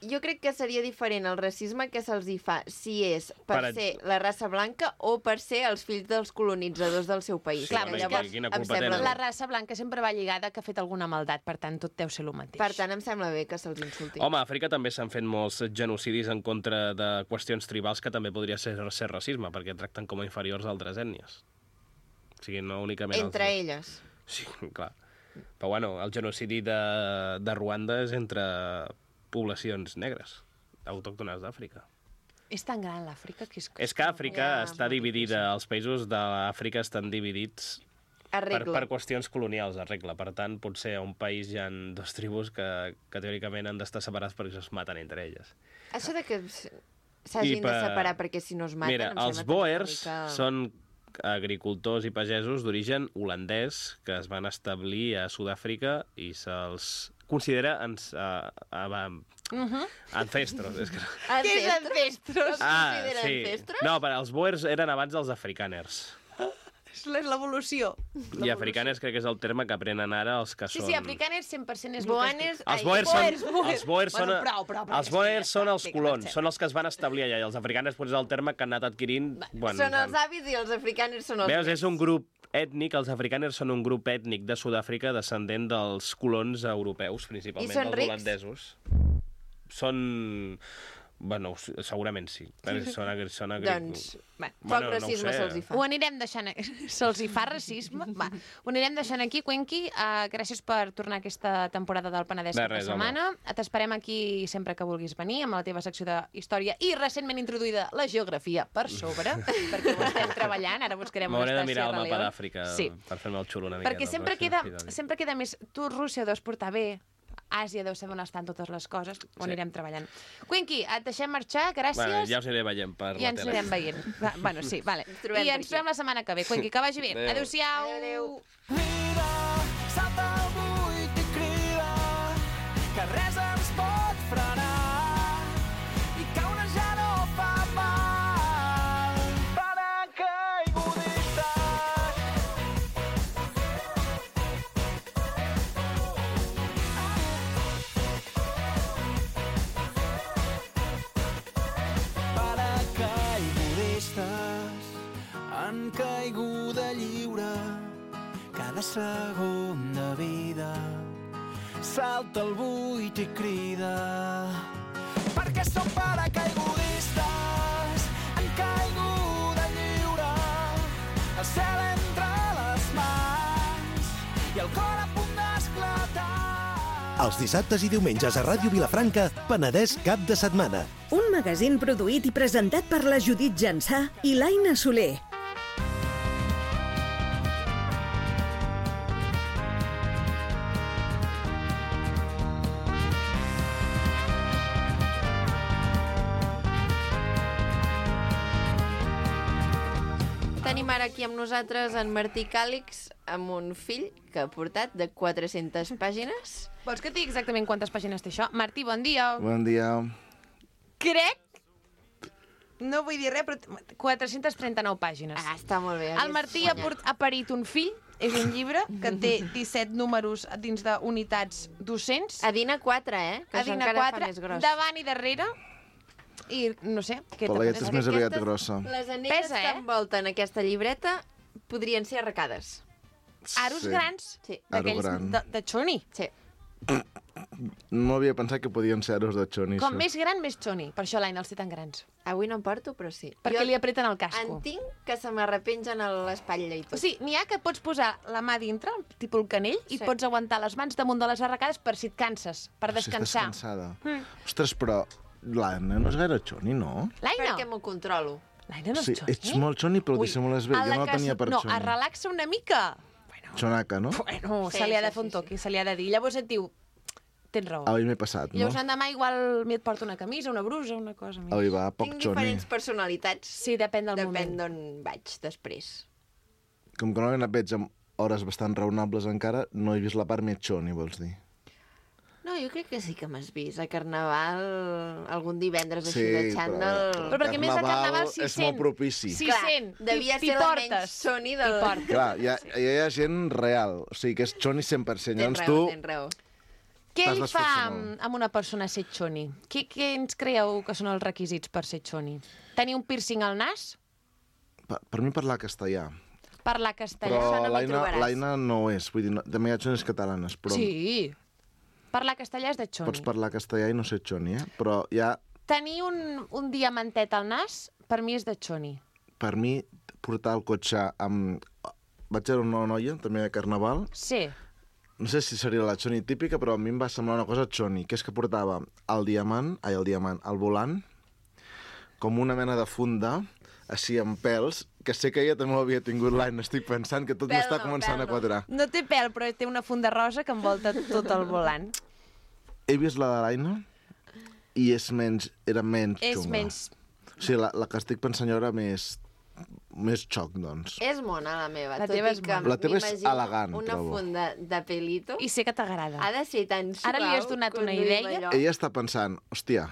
jo crec que seria diferent el racisme que se'ls hi fa si és per, Per- ser la raça blanca o per ser els fills dels colonitzadors del seu país. Sí, Clar, home, però és que Llavors, quina em culpa sembla tenen? La raça blanca sempre va lligada que ha fet alguna maldat, per tant, tot deu ser el mateix. Per tant, em sembla bé que se'ls insulti. Home, a Àfrica també s'han fet molts genocidis en contra de qüestions tribals que també podria ser, ser racisme, perquè tracten com a inferiors a altres ètnies. O sigui, no únicament... Entre els... elles. Sí, clar. Però bueno, el genocidi de, de Ruanda és entre poblacions negres, autòctones d'Àfrica. És tan gran l'Àfrica que és... És que Àfrica Ja, està molt dividida, els països de l'Àfrica estan dividits per, Arregla. per qüestions colonials, a regla. Per tant, potser a un país hi ha dos tribus que, que teòricament han d'estar separats perquè es maten entre elles. Això de que s- s'hagin I de per- separar perquè si no es maten... Mira, em els sembla també una boers mica... són agricultors i pagesos d'origen holandès que es van establir a Sud-àfrica i se'ls considera ans, uh, uh, Mhm. ancestros. És que... Què és ancestros? Es considera sí. ancestros? No, però els boers eren abans dels afrikaners. És l'evolució. I afrikaners crec que és el terme que aprenen ara els que Sí, són... sí, afrikaners cent per cent és Boanes- el que Els boers són, boers, boers. els boers són, Bueno, prou, prou, prou, els ja boers està, són els vinga, colons, avancem. són els que es van establir allà, i els afrikaners potser és el terme que han anat adquirint... Bueno, Són els avis i els africaners són els... Veus, nets. és un grup ètnic, els afrikaners són un grup ètnic de Sud-àfrica descendent dels colons europeus, principalment I són dels rics? holandesos. Són... Bueno, segurament sí. Però Són, agri... són agri... Doncs, Bueno, poc racisme se'ls hi fa. Ho anirem deixant... Se'ls hi fa racisme? Va, ho anirem deixant aquí, Cuenqui. Uh, gràcies per tornar a aquesta temporada del Penedès De cap de res, setmana. T'esperem aquí sempre que vulguis venir, amb la teva secció de història i recentment introduïda la geografia per sobre, perquè ho estem treballant. Ara buscarem on M'hauré està de mirar el Sierra mapa Leone. d'Àfrica Sí. per fer-me el xulo una miqueta. Perquè el sempre pròxim queda, episodi. sempre queda més... Tu, Rússia, ho deus portar bé. Àsia deu saber on estan totes les coses. Ho Sí. anirem treballant. Cuenqui, et deixem marxar, gràcies. Bueno, ja us aniré veient per I la ens tele. anirem veient. Va, bueno, sí, vale. Ens trobem I per ens aquí. trobem la setmana que ve. Cuenqui, que vagi bé. Adéu. Adéu-siau. Adéu, adéu. Vida, salta al buit i crida, que res ens pot frenar, i caure ja no fa mal. Paracaigudistes. Paracaigudistes en caiguda lliure, cada segon de vida salta al buit i crida, perquè som paracaigudistes en caiguda lliure, el cel entre les mans i el cor a punt d'esclatar. Els dissabtes i diumenges a Ràdio Vilafranca, Penedès cap de setmana. Un magazín produït i presentat per la Judit Jansà i l'Aina Soler. Tenim ara aquí amb nosaltres en Martí Càlix amb un fill que ha portat de quatre-centes pàgines. Vols que et digui exactament quantes pàgines té això? Martí, bon dia. Bon dia. Crec... No vull dir res, però quatre-centes trenta-nou pàgines. Ah, està molt bé. El Martí ha, port, ha parit un fill, és un llibre que té disset números dins d'unitats docents. A Dina quatre, eh? Que A això Digna encara quatre, fa més gros. davant i darrere. I no sé, què La te llet pareix? és més Aquestes- aviat grossa. Les anelles Pesa, que eh? envolten aquesta llibreta podrien ser arracades. Aros Sí. grans, Sí. Aro d'aquells gran. de, de xoni. Sí. No havia pensat que podien ser aros de xoni. Com això. més gran, més xoni. Per això l'Aina els té tan grans. Avui no en porto, però sí. Perquè Jo li apreten el casco. en tinc que se m'arrepengen a l'espatlla i tot. O sigui, n'hi ha que pots posar la mà dintre, tipus el canell, i Sí. pots aguantar les mans damunt de les arracades per si et canses, per Si estàs descansar. cansada. Mm. Ostres, però l'Anna no és gaire xoni, no? L'Aina, Perquè m'ho controlo. l'Aina no és Sí, xoni. ets molt xoni, però ho Ui, dissimules bé. a Jo la no que la tenia se- per No, xoni. es relaxa una mica. Xonaca, no? Bueno, Sí, se li ha sí, de fer un sí, toc i se li ha de dir. Llavors et diu, tens raó. Avui m'he passat, no? Llavors l'endemà igual et porto una camisa, una brusa, una cosa més. Avui va, poc Tinc xoni. diferents personalitats. Sí, depèn del Depèn moment. d'on vaig després. Com que normalment et veig amb hores bastant raonables encara, no he vist la part més xoni, vols dir? No, jo crec que sí que m'has vist. A Carnaval, algun divendres així Sí, de però- xandall... Però perquè més de Carnaval s'hi és sent. molt propici. Sí, Clar, sent. devia T'hi ser la portes. menys xoni del- T'hi portes. Clar, hi ha, hi ha gent real, o sigui que és xoni cent per cent. Tens Llavors raó, tu... tens raó. Què T'has li fa d'esforçar amb, molt. amb una persona ser xoni? Què, què ens creieu que són els requisits per ser xoni? Tenir un piercing al nas? Per, per mi parlar castellà. Parlar castellà? Però Això no m'hi l'Aina trobaràs. l'Aina no és, vull dir, no, també hi ha xonis catalanes, però Sí. Parlar castellà és de xoni. pots parlar castellà i no ser xoni, eh? Però ja, Tenir un, un diamantet al nas, per mi és de xoni. per mi, portar el cotxe amb... Vaig veure una noia, també de Carnaval, Sí. no sé si seria la xoni típica, però a mi em va semblar una cosa xoni, que és que portava el diamant, ai, el diamant, el volant, com una mena de funda, així amb pèls, que sé que ella també ho havia tingut l'any, estic pensant que tot Pèl m'està no, començant pèl a no. quadrar. No té pèl, però té una funda rosa que envolta tot el volant. He vist la de l'Aina i és menys, era menys És xunga. menys... O sigui, la, la que estic pensant jo era més, més xoc, doncs. És mona, la meva. La tot teva i és que mona. La teva és m'imagino elegant, una trobo. funda de pelito. I sé que t'agrada. Ha de ser tan suau. Ara li has donat una conduir idea? allò. Ella està pensant, hòstia,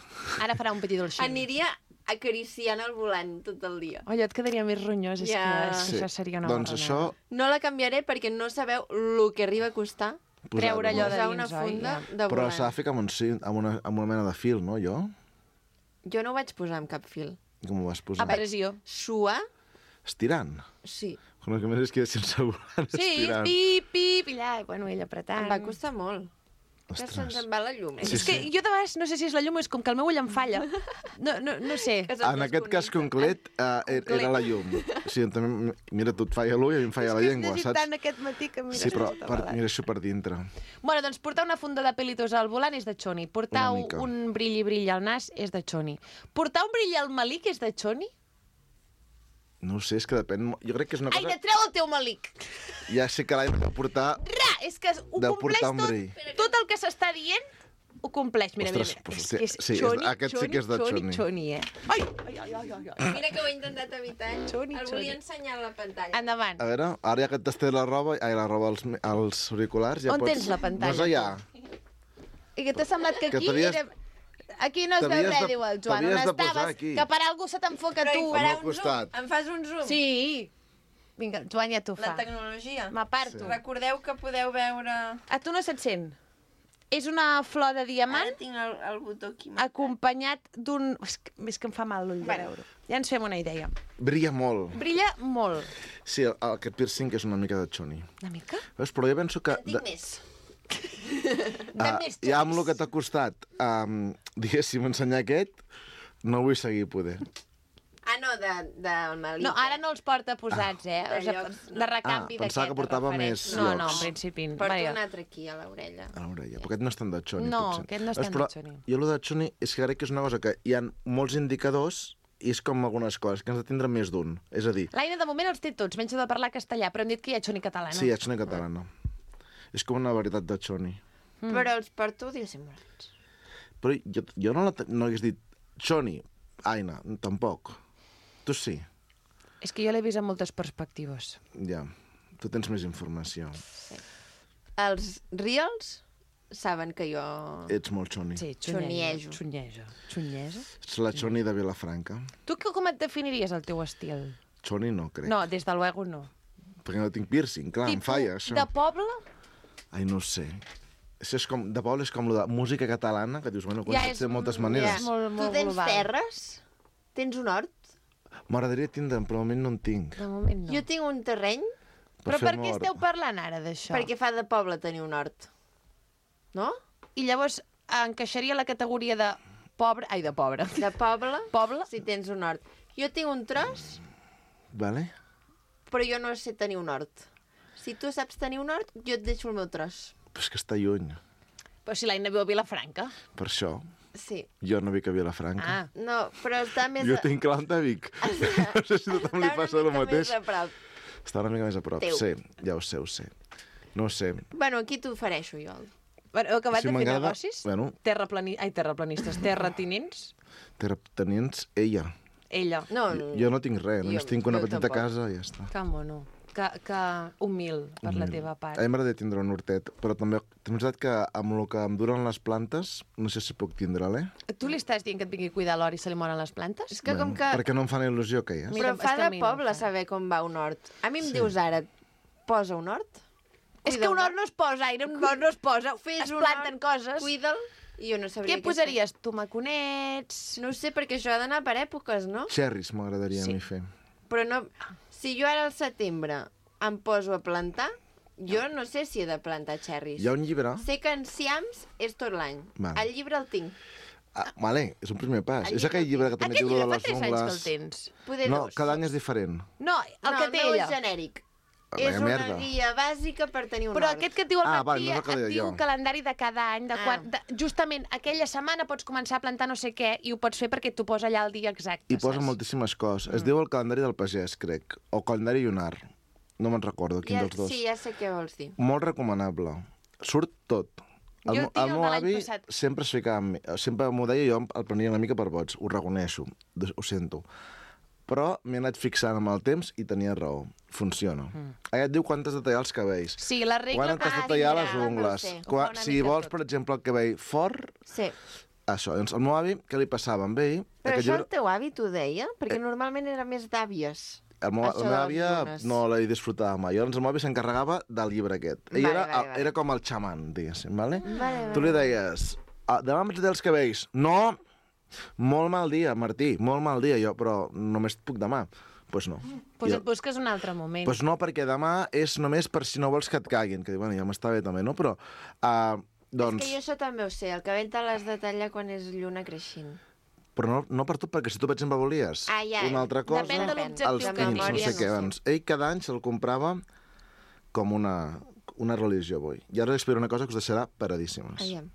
Ara farà un petit dolçín. Aniria acariciant el volant tot el dia. Allò et quedaria més ronyós, és Ja. que, és que sí. això seria una doncs borronada. això... No la canviaré perquè no sabeu el que arriba a costar Treure allò de posar dins, una oi? funda Ja. de Però volant. s'ha de ficar amb, un, cint- amb, una, amb una mena de fil, no, jo? Jo no ho vaig posar amb cap fil. Com ho vas posar? A pressió. Suar, Estirant. sí. Com el que més és que sense volant, Sí, estirant. pip, pip, i allà, bueno, ell apretant. Em va costar molt. Que Ostres. se'ns en va la llum. Sí, És que jo de vegades no sé si és la llum, és com que el meu ull em falla. No, no, no sé. Que se'ns En aquest cas desconnecta. concret, uh, era la llum. O sigui, també, mira, tu et falla l'ull i a mi em falla la llengua, És que has saps? llegit tant aquest matí que mira... Sí, però tota per, vegada. mira això per dintre. Bueno, doncs portar una funda de pelitos al volant és de xoni. Portar Una mica. un brilli-brilli al nas és de xoni. Portar un brilli al malic és de xoni? No ho sé, és que depèn... mo- Jo crec que és una cosa... Aina, treu el teu malic! Ja sé que l'any de portar... Ra, és que ho Deu compleix portar un tot. brill. Tot el que s'està dient ho compleix. Mira, Ostres, mira, pues, mira. És hòstia, que és sí, és- xoni, aquest sí xoni, que és de xoni, xoni. xoni, eh? Ai, ai, ai, ai, ai, ai. Mira que ho he intentat evitar. Xoni, El xoni. volia ensenyar a la pantalla. Endavant. A veure, ara ja que et tasté la roba, ai, la roba als, als auriculars, ja On pots... tens la pantalla, No és allà. I que t'ha semblat que Que aquí t'havies- era... Aquí no es veu t'havies res, de- diu el Joan. On t'havies de posar estaves, aquí. que per algú se t'enfoca Però tu. hi farà Al un costat. zoom. Em fas un zoom? Sí. Vinga, el Joan ja t'ho La fa. tecnologia. M'aparto. Recordeu que podeu veure... A tu no se't sent? És una flor de diamant Ara tinc el, el botó aquí. acompanyat d'un... És que, és que em fa mal l'ull de Bueno. veure. Ja ens fem una idea. Brilla molt. Brilla molt. Sí, el, aquest piercing és una mica de xoni. Una mica? Veus? Però jo penso que... En tinc més. De ah, més ja amb xonis. el que t'ha costat, um, diguéssim, ensenyar aquest, no vull seguir poder. Ah, no, de, del malic. No, ara no els porta posats, eh? de O sigui, llocs, no. de recanvi Ah, pensava d'aquest, que portava de més referència. No, no, llocs. en principi. Porto Vaja. un altre aquí, a l'orella. A l'orella. Però aquest no és tant de xoni, No, potser. aquest no és Veus, tant però de xoni. Jo el de xoni és que crec que és una cosa que hi ha molts indicadors i és com algunes coses, que has de tindre més d'un. És a dir, L'Aina de moment els té tots, menys de parlar castellà, però hem dit que hi ha xoni català, no? sí, hi ha xoni catalana. És com una varietat de xoni. Mm. Però els porto dissimulats. Però jo, jo no, la, te- no hagués dit xoni, Aina, tampoc. Tu sí, És que jo l'he vist en moltes perspectives. ja. Tu tens més informació. Els reals saben que jo... Ets molt xoni. Sí, Xuniejo. Xuniejo. Xuniejo. Ets la xoni de Vilafranca. Tu que- com et definiries el teu estil? Xoni no, crec. No, des de luego no. Perquè no tinc piercing, clar, em falla, això. de poble? Ai, no ho sé. Això és com, de poble és com lo de música catalana, que dius, bueno, ja és- és, de moltes ja maneres. és molt, Tu molt tens global. terres? Tens un hort? M'agradaria tindre, però de moment no en tinc. De moment no. Jo tinc un terreny, Però per fer-me què hort. esteu parlant ara d'això? perquè fa de poble tenir un hort. No? I llavors encaixaria la categoria de pobre... Ai, de pobre. De poble, Poble? si tens un hort. Jo tinc un tros, Vale? però jo no sé tenir un hort. Si tu saps tenir un hort, jo et deixo el meu tros. Però és que està lluny. Però si l'Aina viu a Vilafranca. Per això, Sí. jo no vic a Vilafranca. Ah. No, però està més... Jo a- tinc l'Anta a Vic. No sé si a tothom li està passa una el mica mateix. més a prop. Està una mica més a prop. Teu. Sí, ja ho sé, ho sé. No ho sé. Bueno, aquí t'ho ofereixo jo. Bueno, heu acabat Si de fer m'agrada- negocis? bueno. Terraplani... Ai, terraplanistes, terratinents? Terratinents, ella. Ella. No, Jo no tinc res, només jo- tinc una jo petita tampoc. casa i ja està. Que mono. Que, que humil per la teva A part. mi m'agradaria tindre un hortet, però també també és veritat que amb el que em duren les plantes, no sé si puc tindre-la, eh? Tu li estàs dient que et vingui a cuidar l'hort i se li moren les plantes? És que com que... Perquè no em fan il·lusió que hi és. Mira, Però fa és que a de mi no em poble fa. saber com va un hort. A mi em dius ara, posa un hort? És que un hort no es posa, Aire, un hort no es posa. Fes es un planten hort, coses. Cuida'l, i jo no sabria Què posaries? Tomaconets? No ho sé, perquè això ha d'anar per èpoques, no? Xerris m'agradaria Sí. a mi fer. Però no... Si jo ara al setembre em poso a plantar, jo no sé si he de plantar xerris. Hi ha un llibre... Sé que enciams és tot l'any. Val. El llibre el tinc. Ah, vale, és un primer pas. El És aquell llibre que també Aquest diu llibre de fa les tres anys que el ungles... tens. Poder No, dos. cada any és diferent. No, el no, que el té meu ella. és genèric. Vaya és una merda. guia bàsica per tenir un Però hort. aquest que et diu al Ah, matí val, no és el que et deia diu jo. un calendari de cada any, de Ah. quan, de, justament aquella setmana pots començar a plantar no sé què i ho pots fer perquè t'ho posa allà el dia exacte, I posa saps? moltíssimes coses. Es diu el calendari del pagès, crec. O calendari lunar. No me'n recordo quin Ja, dels dos. sí, ja sé què vols dir. Molt recomanable. Surt tot. Jo El, meu- tinc el el meu de l'any avi passat. sempre es ficava amb mi. Sempre m'ho deia, jo el prenia una mica per boig. Ho reconeixo. Des- Ho sento. Però m'he anat fixant amb el temps i tenia raó. Funciona. Mm. Allà et diu quantes de tallar els cabells. Sí, la regla... Quan has de Ah, tallar sí, les ja, no ho ungles. sé. Ho Quan, fa una si mica vols, tot. per exemple, el cabell fort, Sí. això. Doncs el meu avi, què li passava amb ell? Però Aquest això llibre- el teu avi t'ho deia? Perquè normalment era més d'àvies. El meu, Això la meva de les àvia llunes. no la disfrutava mai. Llavors el meu avi s'encarregava del llibre aquest. Ell Vale, era, vale, vale. era com el xaman, diguéssim, vale? Vale, Tu li deies, ah, demà em tallar els cabells. No! Molt mal dia, Martí, molt mal dia. Jo, però només puc demà. Doncs pues no. Pues Jo- et busques un altre moment. pues no, perquè demà és només per si no vols que et caguin. Que diu, bueno, ja m'està bé també, no? Però, uh, doncs... És que jo això també ho sé. El cabell te l'has de tallar quan és lluna creixent. Però no, no per tu, perquè si tu, per exemple, volies Ah, ja. una altra cosa, Depèn de l'objectiu els que pins, no tinguis. sé què. Doncs, ell cada any se'l comprava com una, una religió, avui. I ara li explico una cosa que us deixarà paradíssimes. Aviam.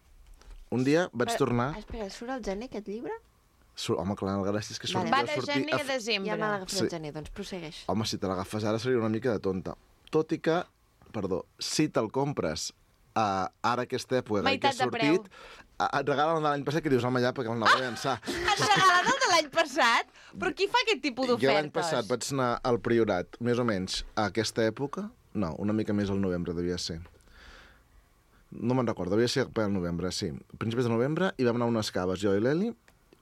Un dia vaig Però- tornar... Espera, surt al gener aquest llibre? Sur... Home, clar, gràcies és que Vale. sortia... Va de sortir gener a f- desembre. Ja me l'agafat Sí. al gener, doncs prossegueix. Home, si te l'agafes ara seria una mica de tonta. Tot i que, perdó, si te'l compres uh, ara aquesta època que Meitat ha de preu. sortit, uh, et regalen el de l'any passat que dius, home, ja, perquè el anava a llançar. Has regalat el de l'any passat? Però qui fa aquest tipus Jo d'ofertes? l'any passat vaig anar al Priorat, més o menys, a aquesta època. No, una mica més al novembre devia ser. No me'n recordo, devia ser per al novembre, sí. Principis de novembre, i vam anar a unes caves, jo i l'Eli.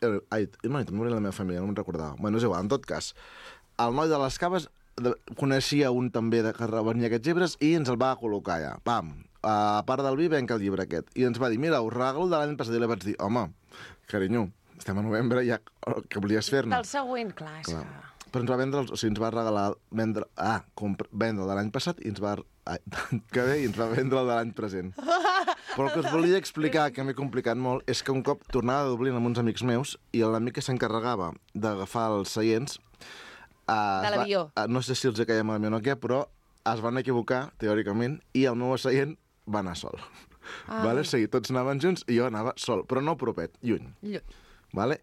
el- Ai, no, i també la meva família, no me'n recordava. Bueno, és igual, en tot cas. El noi de les caves de, coneixia un també de, que venia aquests llibres i ens el va col·locar allà. Pam, a part del vi venc el llibre aquest. I ens va dir, mira, us regalo de l'any passat. I li vaig dir, home, carinyo, estem a novembre, ja, què volies fer-ne? Del següent, clar, és Clar. que... Però ens va vendre, els- o sigui, ens va regalar, vendre, ah, compra, vendre el de l'any passat i ens va, ai, que bé, i ens va vendre el de l'any present. Però el que us volia explicar, que m'he complicat molt, és que un cop tornava de Dublín amb uns amics meus i l'amic que s'encarregava d'agafar els seients... Eh, De es va- l'avió. eh, no sé si els caia malament o què, però es van equivocar, teòricament, i el meu seient va anar sol. Ai. Vale? O sigui, tots anaven junts i jo anava sol, però no propet, lluny. Lluny. Vale?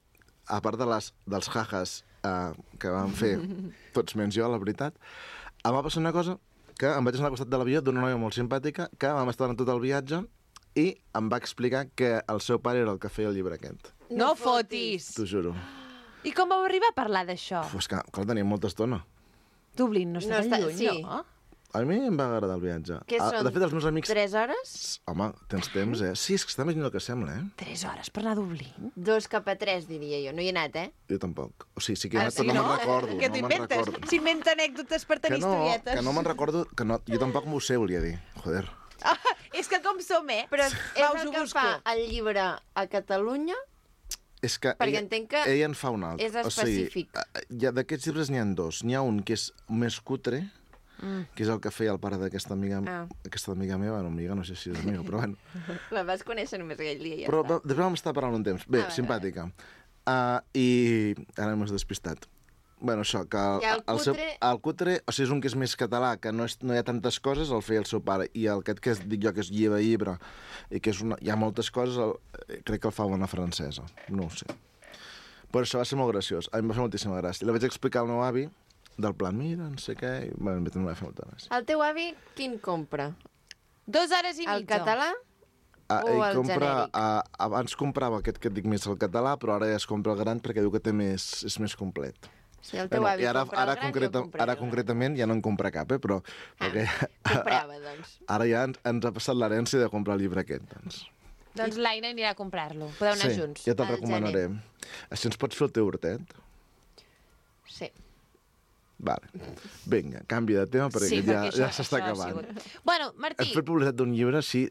A part de les, dels jajas uh, que vam fer tots menys jo, la veritat, em va passar una cosa que em vaig anar al costat de l'avió d'una noia molt simpàtica que vam estar en tot el viatge i em va explicar que el seu pare era el que feia el llibre aquest. No fotis! T'ho juro. I com vau arribar a parlar d'això? Pues que, clar, teníem molta estona. Dublín no està No tan està- lluny, sí. no? A mi em va agradar el viatge. Què Ah, són? de fet, els meus amics... Tres hores? Home, tens temps, eh? Sí, és que està més lluny del que sembla, eh? Tres hores per anar a Dublín? Dos cap a tres, diria jo. No hi he anat, eh? Jo tampoc. O sigui, sí que he Ah, anat, sí, però no, no? me'n recordo. Què no me'n t'inventes? recordo. S'inventa anècdotes per Que tenir no, historietes. que no me'n recordo... Que no, jo tampoc m'ho sé, volia dir. Joder. Ah, és que com som, eh? Però és Va, us el ho que busco. fa el llibre a Catalunya? És que Perquè ella, entenc que ella en fa un altre. és específic. O sigui, hi ha- d'aquests llibres n'hi ha dos. N'hi ha un que és més cutre, mm. que és el que feia el pare d'aquesta amiga, Ah. aquesta amiga meva, no amiga, no sé si és amiga, però bueno. La vas conèixer només aquell dia i ja Però està. va- després vam estar parlant un temps. Bé, Ah, vale, simpàtica. Uh, I ara m'has despistat. Bueno, això, que el, I el el, seu, cutre- el cutre, o sigui, és un que és més català, que no, és, no hi ha tantes coses, el feia el seu pare. I el aquest que es, dic jo, que és llibre, llibre, i que és una, hi ha moltes coses, el, eh, crec que el fa una francesa. No ho sé. Però això va ser molt graciós. A mi em va fer moltíssima gràcia. I la vaig explicar al meu avi, del plan, mira, no sé què, i bueno, també em va fer molta gràcia. El teu avi, quin compra? Dos hores i mitja. El català Ah, O ell el compra, genèric. ah, abans comprava aquest que et dic més el català, però ara ja es compra el gran perquè diu que té més, és més complet. Si el teu Bueno, avi i ara, compra ara, el gran, concreta, jo compraré ara el gran. concretament ja no en compra cap, eh, però... Ah, perquè, comprava, doncs. ara ja ens, ens ha passat l'herència de comprar el llibre aquest, doncs. Doncs l'Aina anirà a comprar-lo. Podeu anar sí, junts. ja te'l al recomanaré. Així ens pots fer el teu hortet? Sí. Vale. Vinga, canvi de tema perquè Sí, ja, perquè això- ja s'està això ha acabant. sigut. Bueno, Martí, Has fet publicitat d'un llibre, sí,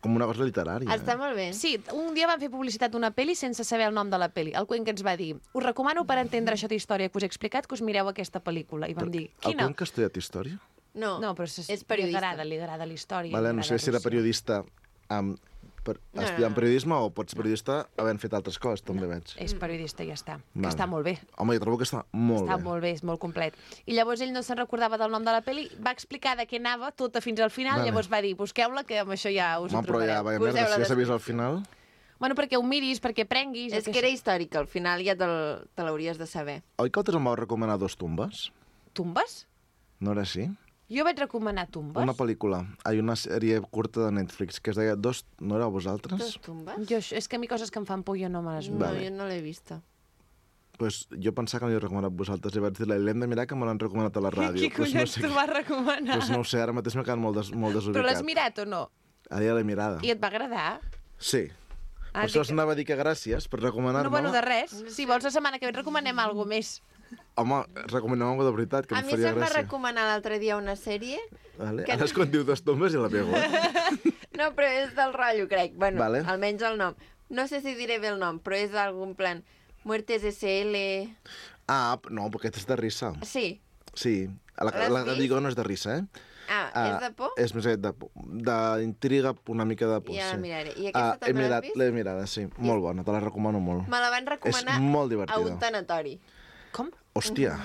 com una cosa literària. Està eh? molt bé. sí, un dia vam fer publicitat d'una pel·li sense saber el nom de la pel·li. El Cuenca ens va dir, us recomano per entendre això d'història que us he explicat que us mireu aquesta pel·lícula. I vam dir, El quina? Cuenca ha estudiat història? No, No, però és, és periodista. Li agrada, li agrada la història. Vale, li no sé agrada si era Rússia. periodista amb, per, no, estudiant no. periodisme o pots ser periodista havent fet altres coses, també veig. És periodista i ja està. Que Vale. està molt bé. Home, jo trobo que està molt Està bé. molt bé, és molt complet. I llavors ell no se'n recordava del nom de la pel·li, va explicar de què anava tota fins al final, Vale. llavors va dir, busqueu-la, que amb això ja us Home, ho però ja, trobareu. vaja Poseu-la merda, si ja s'ha vist al descripció. final... Bueno, perquè ho miris, perquè prenguis... És que era històric, al final ja te'l- te l'hauries de saber. Oi que altres em vau recomanar dos tombes? Tumbes? No era així? Jo vaig recomanar Tumbes. Una pel·lícula. Hi ha una sèrie curta de Netflix que es deia Dos... No éreu vosaltres? Dos tumbes? Jo, és que a mi coses que em fan por jo no me les... No, Vale. jo no l'he vista. Pues jo pensava que l'he recomanat vosaltres i vaig dir, l'hem de mirar que me l'han recomanat a la ràdio. Qui Pues collons sé t'ho què- va recomanar? Pues no ho sé, ara mateix m'he quedat molt, des, molt desubicat. Però l'has mirat o no? Ara ja l'he mirada. I et va agradar? Sí. Ah, Per això dic- anava a dir que gràcies per recomanar-me. No, bueno, de res. Si vols la setmana que ve et recomanem alguna més. Home, recomanem alguna de veritat, que A em mi faria se'm va gràcia. recomanar l'altre dia una sèrie. Vale. que- Ara és quan diu Dos tombes i la pego. Eh? No, però és del rotllo, crec. Bueno, Vale. almenys el nom. No sé si diré bé el nom, però és algun plan... Muertes S L... Ah, no, perquè aquest és de risa. Sí. Sí. La, L'has la que vist? dic no és de risa, eh? Ah, Ah, és de por? És més aviat de por. D'intriga, una mica de por, Ja la sí. miraré. I Ah, aquesta he també l'has mirat, vist? l'he mirada, sí. Molt bona, te la recomano molt. Me la van recomanar És molt a divertida. un tanatori. Com? Hòstia.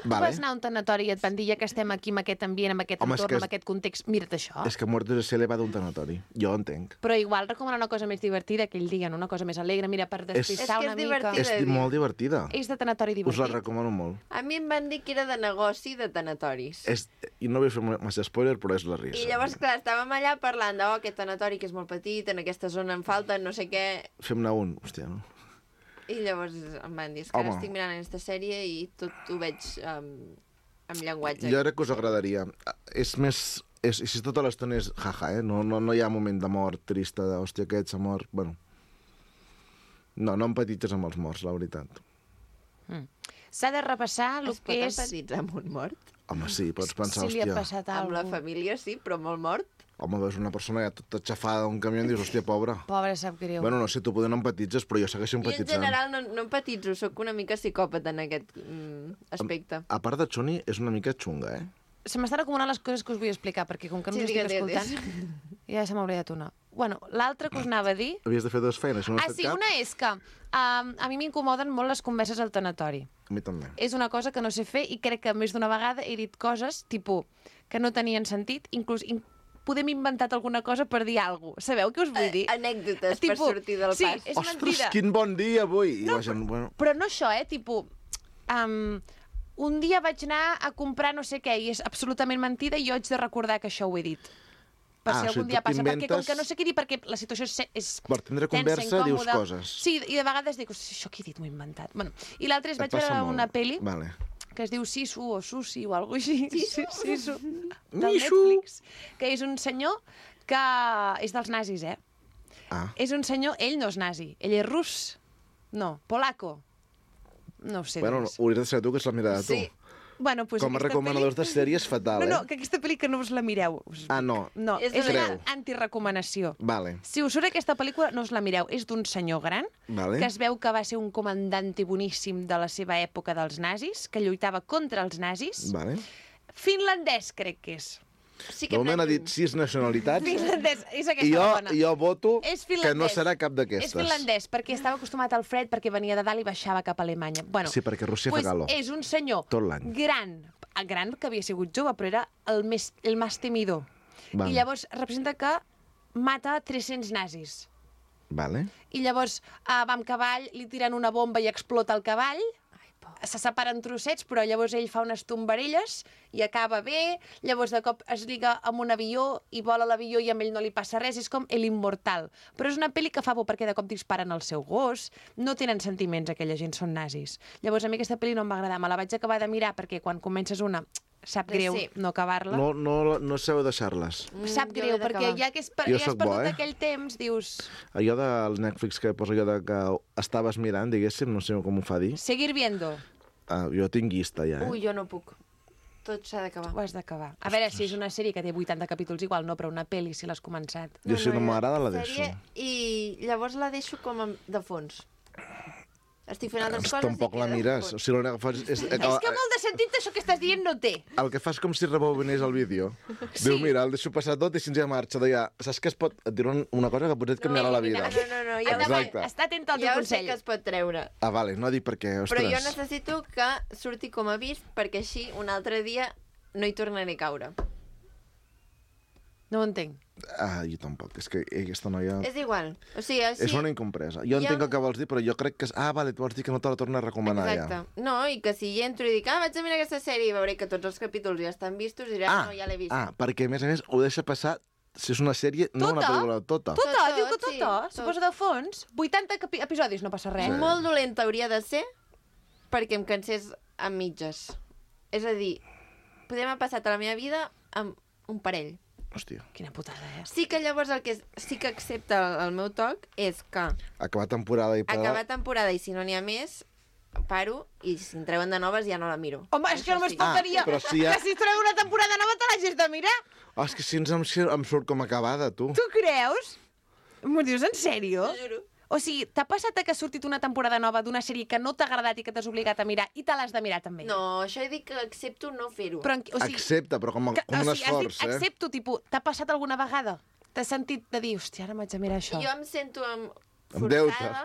Tu Vale. vas anar a un tanatori i et van dir, ja que estem aquí amb aquest ambient, amb aquest Home, és entorn, que és- amb aquest context, mira't això. És que Muertos de Cele va d'un tanatori. Jo ho entenc. Però igual recomanar una cosa més divertida aquell dia, no? Una cosa més alegre, mira, per despistar És que una és mica. divertida. És dir. molt divertida. És de tanatori Us divertit. la recomano molt. A mi em van dir que era de negoci de tanatoris. És, I no vull fer massa spoiler, però és la risa. I llavors, clar, estàvem allà parlant de, oh, aquest tanatori que és molt petit, en aquesta zona en falta, no sé què... Fem-ne un, hòstia, no? I llavors em van dir, és que ara Home. estic mirant aquesta sèrie i tot ho veig um, amb llenguatge. Jo crec que us agradaria. És més... És, i si tota l'estona és jaja, eh? No, no, no hi ha moment de mort trista, de, hòstia, aquest s'ha mort... Bueno, no, no empatitges amb els morts, la veritat. S'ha de repassar el Es pot que és... empatitzar amb un mort? Home, sí, pots pensar, si li ha hòstia... passat Amb la alguna cosa. família sí, però molt mort? Home, veus una persona ja tota xafada d'un camió i dius, hòstia, pobra. Pobre, sap greu. Bueno, no sé, tu poder no empatitzes, però jo segueixo Jo en empatitzant. general no, no empatitzo, sóc una mica psicòpata en aquest mm, aspecte. A part de Choni, és una mica xunga, eh? Se m'estan acumulant les coses que us vull explicar, perquè com que no Sí, us estic digues, digues. escoltant, ja se m'ha oblidat una. Bueno, l'altra que us anava a dir... Havies de fer dues feines, no has Ah, fet sí, cap? una és que um, a mi m'incomoden molt les converses al tanatori. A mi també. És una cosa que no sé fer i crec que més d'una vegada he dit coses, tipus, que no tenien sentit, inclús in podem inventat alguna cosa per dir alguna cosa. Sabeu què us vull dir? Eh, Anècdotes per Tipus, sortir del sí, pas. és Ostres, mentida. quin bon dia avui! I No, la gent, bueno... Però no això, eh? Tipus, um, un dia vaig anar a comprar no sé què i és absolutament mentida i jo haig de recordar que això ho he dit. Per Ah, si o algun sigui, dia tu passa. Perquè com t'inventes- que no sé què dir, perquè la situació és, és Per tindre tensa, conversa dius incòmoda. coses. Sí, i de vegades dic, "Hosti, això que he dit m'ho he inventat. Bueno, i l'altre és, Et vaig passa veure molt. una pel·li Vale. que es diu Sisu o Susi o alguna cosa així. Sisu? Sisu. Del Mishu. Netflix. Que és un senyor que és dels nazis, eh? Ah, És un senyor, ell no és nazi, ell és rus. No, polaco. No ho sé. bueno, dir-vos. hauries de ser tu que és la mirada de tu. Sí. Bueno, pues Com a aquesta recomanadors pel·li... de sèries, fatal, No, eh? no, que aquesta pel·li que no us la mireu. Us... Ah, no. No, És és, de una Creu. antirecomanació. Vale, Si us surt aquesta pel·lícula, no us la mireu. És d'un senyor gran, vale. que es veu que va ser un comandante boníssim de la seva època dels nazis, que lluitava contra els nazis. Vale. Finlandès, crec que és. Sí que De hem moment ha anat dit sis nacionalitats Finlandès, és aquesta i jo, la bona. jo voto És que no finlandès. serà cap És d'aquestes. finlandès, perquè estava acostumat al fred, perquè venia de dalt i baixava cap a Alemanya. Bueno, Sí, perquè Rússia pues fa calor. és un senyor Tot l'any. gran, ah, gran, que havia sigut jove, però era el més, el més temidor. Vale. I llavors representa que mata tres-cents nazis. Vale. I llavors uh, va amb cavall, li tiren una bomba i explota el cavall, se separen trossets, però llavors ell fa unes tombarelles i acaba bé, llavors de cop es lliga amb un avió i vola l'avió i amb ell no li passa res, és com El Immortal. Però és una pel·li que fa por perquè de cop disparen el seu gos, no tenen sentiments, aquella gent són nazis. Llavors a mi aquesta pel·li no em va agradar, me la vaig acabar de mirar perquè quan comences una sap greu Sí. no acabar-la. No, no, no sabeu deixar-les. Sap Mm, jo greu, l'he d'acabar. perquè ja que és, per, Jo ja has sóc bo, perdut eh? aquell temps, dius... Allò del Netflix que posa allò de que estaves mirant, diguéssim, no sé com ho fa dir. Seguir viendo. Ah, jo tinc llista ja, eh? Ui, jo no puc. Tot s'ha d'acabar. Ho has d'acabar. A veure, si és una sèrie que té vuitanta capítols igual, no, però una pel·li, si l'has començat. Jo si no jo- m'agrada la sèrie, deixo. I llavors la deixo com a- de fons. Estic fent altres Doncs coses tampoc i la queda de mires. fons. O sigui, l'únic que fas és... És que molt de sentit això que estàs dient no té. El que fas com si rebobinés el vídeo. Sí. Diu, mira, el deixo passar tot i si ens ja marxa. Deia, saps que es pot... Et diré una cosa que potser et canviarà la vida. No, no, no, ja, Exacte. Està atent al teu ja ho sé consell. que es pot treure. Ah, vale, no dic perquè, ostres... Però jo necessito que surti com a vist perquè així un altre dia no hi tornaré a caure. No ho entenc. Ah, jo tampoc. És que aquesta noia... És igual. O sigui, així... És una incompresa. Jo Hi ha entenc un- el que vols dir, però jo crec que... És... Ah, vale, tu vols dir que no te la torna a recomanar Exacte. ja. No, i que si hi entro i dic, ah, vaig a mirar aquesta sèrie i veuré que tots els capítols ja estan vistos i diré, ah, no, ja l'he vist. ah, perquè a més a més ho deixa passar si és una sèrie, no una Tota? pel·lícula, tota. Tota, Tot, diu que tot, sí, tota. tot. Se posa de fons. vuitanta capi- episodis, no passa res. Sí. Molt dolenta hauria de ser perquè em cansés a mitges. És a dir, podem haver passat a la meva vida amb un parell. Hòstia. Quina putada, eh? Sí que llavors el que sí que accepta el, el meu toc és que Acabar temporada i parar... acabar temporada i si no n'hi ha més, paro i si en treuen de noves ja no la miro. Home, és que Això només sí. faltaria Ah, però si ja- que si es treu una temporada nova te l'hagis de mirar. Ah, és que si ens em, em surt com acabada, tu. Tu creus? M'ho dius en sèrio? T'ho juro. O sigui, t'ha passat que ha sortit una temporada nova d'una sèrie que no t'ha agradat i que t'has obligat a mirar i te l'has de mirar també? No, això he dit que accepto no fer-ho. Però, en- o sigui, Accepta, però com, a, que- com o un sigui, has dit, esforç, eh? accepto, tipus, t'ha passat alguna vegada? T'has sentit de dir, hòstia, ara m'haig de mirar això. Jo em sento amb Amb deute. forçada,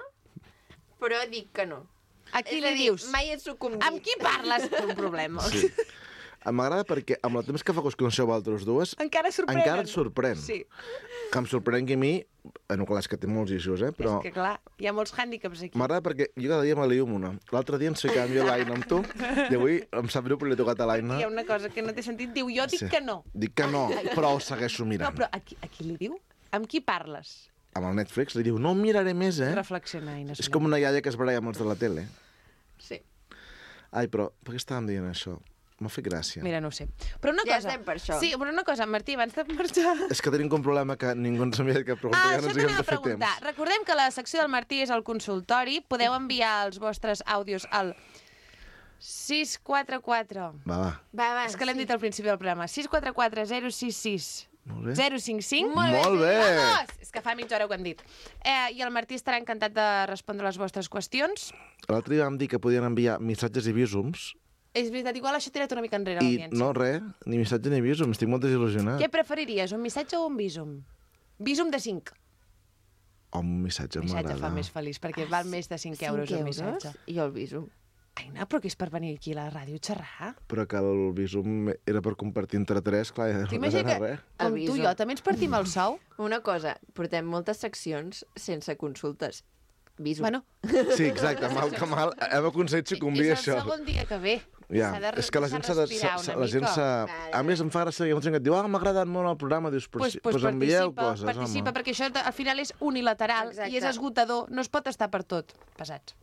però dic que no. A qui És li a dir, dius? mai he sucumbit. Amb qui parles? Té un problema. Sí. M'agrada perquè amb el temps que fa que us coneixeu vosaltres dues, Encara sorprenen. encara et sorprèn. Sí. Que em sorprengui a mi, bueno, clar, és que té molts issues, eh? Però És que, clar, hi ha molts hàndicaps aquí. m'agrada perquè jo cada dia me lio amb una. L'altre dia ens ficàvem jo l'Aina amb tu, i avui em sap greu perquè li he tocat a l'Aina. Hi ha una cosa que no té sentit. Diu, jo dic Sí. que no. Dic que no, però ho segueixo No, mirant. però a qui, a qui li diu? Amb qui parles? Amb el Netflix li diu, no em miraré més, eh? Reflexiona, Ina. És com una iaia que es baralla amb els de la tele. Sí. Ai, però per què estàvem dient això? M'ha fet gràcia. Mira, no ho sé. Però una Ja cosa... estem per això. Sí, però una cosa, Martí, abans de marxar... És que tenim un problema que ningú ens havia que preguntar, Ah, ja això no ens t'anem haguem a de fer preguntar. temps. Recordem que la secció del Martí és el consultori. Podeu enviar els vostres àudios al sis quatre quatre... Va, va. Va, va. És que l'hem dit al principi del programa. sis quatre quatre zero sis sis Molt bé. zero cinc cinc. Molt bé. Vamos! És que fa mitja hora que ho hem dit. Eh, I el Martí estarà encantat de respondre les vostres qüestions. L'altre dia vam dir que podien enviar missatges i visums, És veritat, igual això tira una mica enrere i l'audiència. no res, ni missatge ni visum, estic molt desil·lusionat. Què preferiries, un missatge o un visum? Visum de cinc. O un missatge, Un missatge m'agrada. fa més feliç, perquè val més de cinc euros un missatge. I jo el viso. Aina, però que és per venir aquí a la ràdio a xerrar? Però que el visum era per compartir entre tres, clar, ja no T'imagines era que, res. com El tu i visum. jo, també ens partim el sou? Una cosa, portem moltes seccions sense consultes. Viso. Bueno, Sí, exacte, mal que mal, hem aconseguit sucumbir és el això. segon dia que ve. Ja, S'ha de és que la gent s'ha de... respirar s'ha- una La gent mica. s'ha... A més, em fa gràcia que hi ha molta gent que et diu ah, m'ha agradat molt el programa, dius, però Pues, si- pues pues envieu participa, coses, participa, home. perquè això al final és unilateral Exacte. i és esgotador, no es pot estar per tot. Pesats.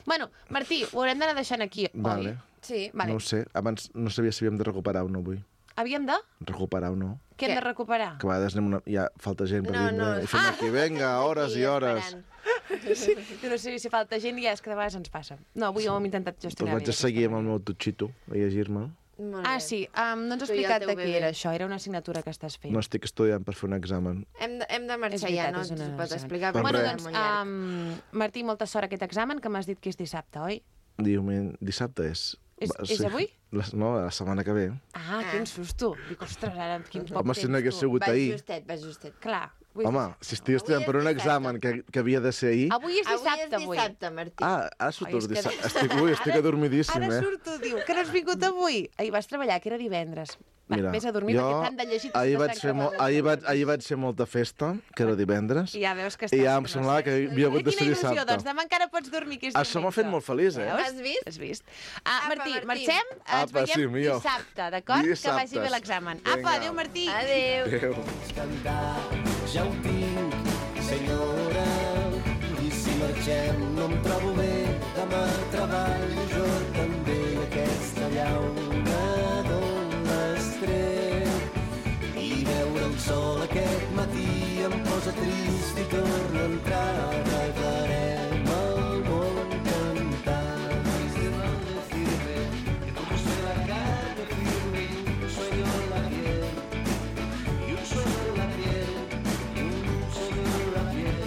Bueno, Martí, ho haurem d'anar deixant aquí, Vale. oi? Sí. Vale. No ho sé, abans no sabia si havíem de recuperar o no avui. Havíem de? Recuperar o no. Què hem Què? de recuperar? Que a vegades anem una... hi ha falta gent per No, vindre no. i fem Ah! aquí, vinga, hores i hores. Esperant. Jo no sé si falta gent i ja és que de vegades ens passa. No, avui ho hem intentat Doncs gestionar vaig a seguir amb el meu tutxito, a llegir-me. Molt Ah, bé. sí, um, no ens has Tu i el explicat teu de què bebè. era això, era una assignatura que estàs fent. No estic estudiant per fer un examen. Hem de, hem de És marxar veritat, ja, no és una ens ho pot examen. explicar. Doncs Bueno, perquè res. doncs, és molt llarg. um, Martí, molta sort a aquest examen, que m'has dit que és dissabte, oi? Diumenge, dissabte és... És- Va, és avui? La, no, la setmana que ve. Ah, quin susto. Dic, ostres, ara quin poc Home, si temps, no hagués tu. sigut Va ahir. justet, va justet. Clar, Home, si estic estudiant per un examen que, que havia de ser ahir... Avui és dissabte, Avui és avui. dissabte, Martí. Ah, ara surto Ai, és els que- dissabtes. Estic, ui, estic adormidíssim, Ara eh? surto, diu, que no has vingut avui. Ahir vas treballar, que era divendres. Va, Mira, vés a dormir, jo perquè tant de llegir... ahir vaig, fer mo ahir, vaig, ahir vaig fer molta festa, que era divendres, I ja veus que i estàs... ja em que no semblava sé. que havia hagut de Quina ser il·lusió, dissabte. doncs demà encara pots dormir, que és Això m'ha fet molt feliç, eh? Veus? Has vist? Has vist? Ah, Apa, Martí, Martí. marxem? Ens Apa, sí, veiem millor. dissabte, d'acord? Que vagi Dissabtes. bé l'examen. Vinga. Apa, adéu, Martí. Adéu. Adéu. cantar, ja ho tinc, senyora. I si marxem no em trobo bé, demà treballo jo també. Aquesta llauna d'on l'has tret. I veure el sol aquest matí em posa trist i torna a entrar. Regarem el món cantant. Que como soy la carne firme, un sueño en la piel. Y un sueño en la piel, y un sueño en la piel,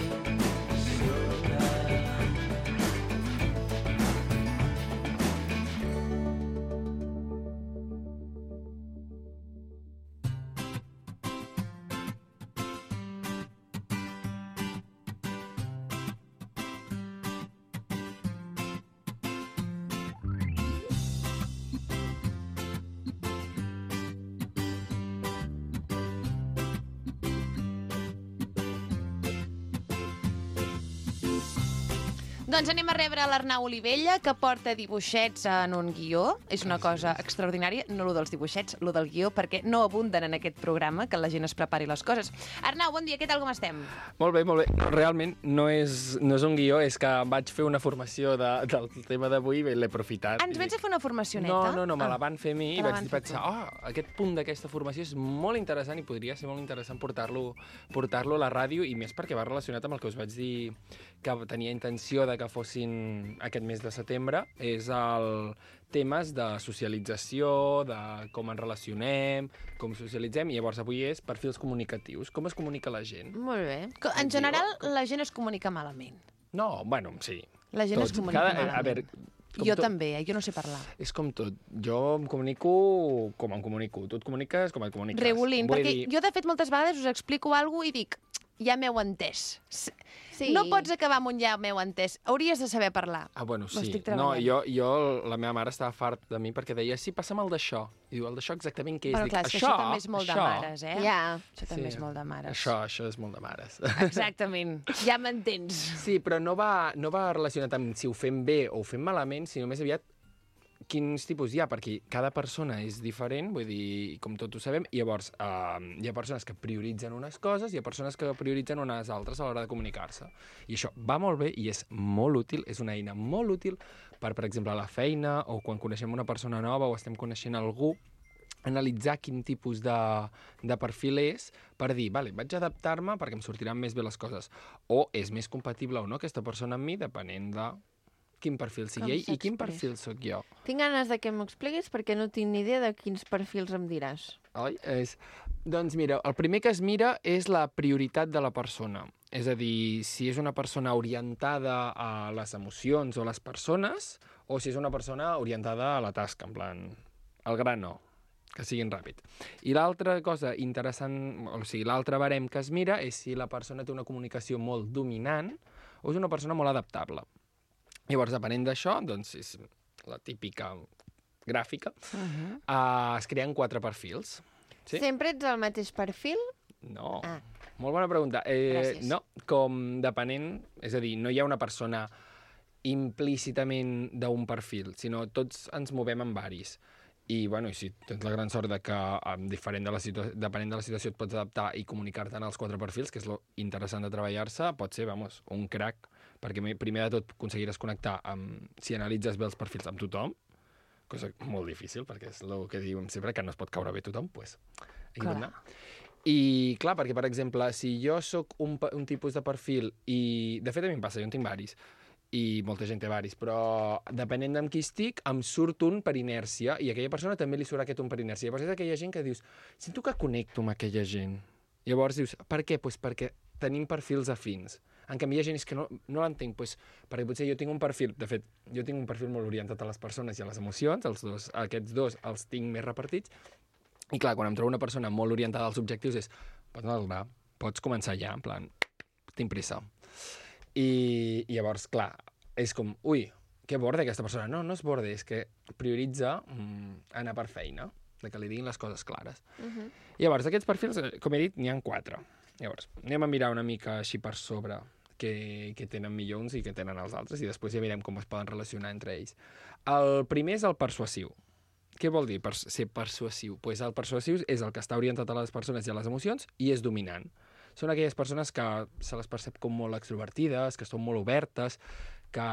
señora. Doncs anem a rebre l'Arnau Olivella, que porta dibuixets en un guió. És una cosa extraordinària, no lo dels dibuixets, lo del guió, perquè no abunden en aquest programa, que la gent es prepari les coses. Arnau, bon dia, què tal, com estem? Molt bé, molt bé. Realment no és, no és un guió, és que vaig fer una formació de, del tema d'avui i l'he aprofitat. Ens vens a fer una formacioneta? No, no, no, me Ah. la van fer a mi Te i la vaig van dir, fer pensar, oh, aquest punt d'aquesta formació és molt interessant i podria ser molt interessant portar-lo portar-lo a la ràdio, i més perquè va relacionat amb el que us vaig dir que tenia intenció de que fossin aquest mes de setembre, és el temes de socialització, de com ens relacionem, com socialitzem, i llavors avui és perfils comunicatius, com es comunica la gent. Molt bé. Que, En general, la gent es comunica malament. No, bueno, sí. La gent es Tots. comunica Cada- malament. A veure, com Jo tot- també, eh? Jo no sé parlar. És com tot. Jo em comunico com em comunico. Tu et comuniques com et comuniques. Regulint, Vull perquè dir, jo, de fet, moltes vegades us explico alguna cosa i dic, ja m'heu entès. S- Sí. No pots acabar amb un ja m'heu entès. Hauries de saber parlar. Ah, bueno, Ho sí. estic No, treballant. jo, jo, la meva mare estava fart de mi perquè deia, sí, passa'm el d'això. I diu, el d'això exactament què és? Però Dic, clar, és que això també és molt de això. mares, eh? Ja. Això també és molt de mares. Això, això és molt de mares. Exactament. Ja m'entens. Sí, però no va, no va relacionat amb si ho fem bé o ho fem malament, sinó més aviat quins tipus hi ha, perquè cada persona és diferent, vull dir, com tots ho sabem, i llavors eh, hi ha persones que prioritzen unes coses i hi ha persones que prioritzen unes altres a l'hora de comunicar-se. I això va molt bé i és molt útil, és una eina molt útil per, per exemple, a la feina o quan coneixem una persona nova o estem coneixent algú, analitzar quin tipus de, de perfil és per dir, vale, vaig adaptar-me perquè em sortiran més bé les coses. O és més compatible o no aquesta persona amb mi, depenent de quin perfil Com sigui ell i quin s'expressa. perfil sóc jo. Tinc ganes de que m'ho expliquis perquè no tinc ni idea de quins perfils em diràs. Oi? És... Doncs mira, el primer que es mira és la prioritat de la persona. És a dir, si és una persona orientada a les emocions o les persones, o si és una persona orientada a la tasca, en plan, al gra no, que siguin ràpid. I l'altra cosa interessant, o sigui, l'altre barem que es mira és si la persona té una comunicació molt dominant o és una persona molt adaptable. Llavors, depenent d'això, doncs és la típica gràfica, uh -huh. uh, es creen quatre perfils. Sí? Sempre ets el mateix perfil? No. Ah. Molt bona pregunta. Eh, Gràcies. no, com depenent... És a dir, no hi ha una persona implícitament d'un perfil, sinó tots ens movem en varis. I, bueno, i si tens la gran sort de que, um, diferent de la situa- depenent de la situació, et pots adaptar i comunicar-te en els quatre perfils, que és lo interessant de treballar-se, pot ser, vamos, un crack, perquè me- primer de tot aconseguiràs connectar amb, si analitzes bé els perfils, amb tothom, cosa molt difícil, perquè és el que diuen sempre, que no es pot caure bé tothom, doncs pues, Clar. clar. I, clar, perquè, per exemple, si jo sóc un, pa- un tipus de perfil i, de fet, a mi em passa, jo en tinc varis, i molta gent té varis, però depenent d'amb qui estic, em surt un per inèrcia, i a aquella persona també li surt aquest un per inèrcia. Llavors és aquella gent que dius, sento que connecto amb aquella gent. Llavors dius, per què? Pues perquè tenim perfils afins. En canvi, hi ha gent és que no, no l'entenc, pues, perquè potser jo tinc un perfil, de fet, jo tinc un perfil molt orientat a les persones i a les emocions, els dos, aquests dos els tinc més repartits, i clar, quan em trobo una persona molt orientada als objectius és, pues no, gra, pots començar ja, en plan, tinc pressa. I, i llavors, clar, és com, ui, que borde aquesta persona. No, no és borde, és que prioritza mm, anar per feina, de que li diguin les coses clares. Uh-huh. I llavors, d'aquests perfils, com he dit, n'hi ha quatre. Llavors, anem a mirar una mica així per sobre que, que tenen millor uns i que tenen els altres, i després ja mirem com es poden relacionar entre ells. El primer és el persuasiu. Què vol dir per ser persuasiu? Pues el persuasiu és el que està orientat a les persones i a les emocions i és dominant. Són aquelles persones que se les percep com molt extrovertides, que són molt obertes, que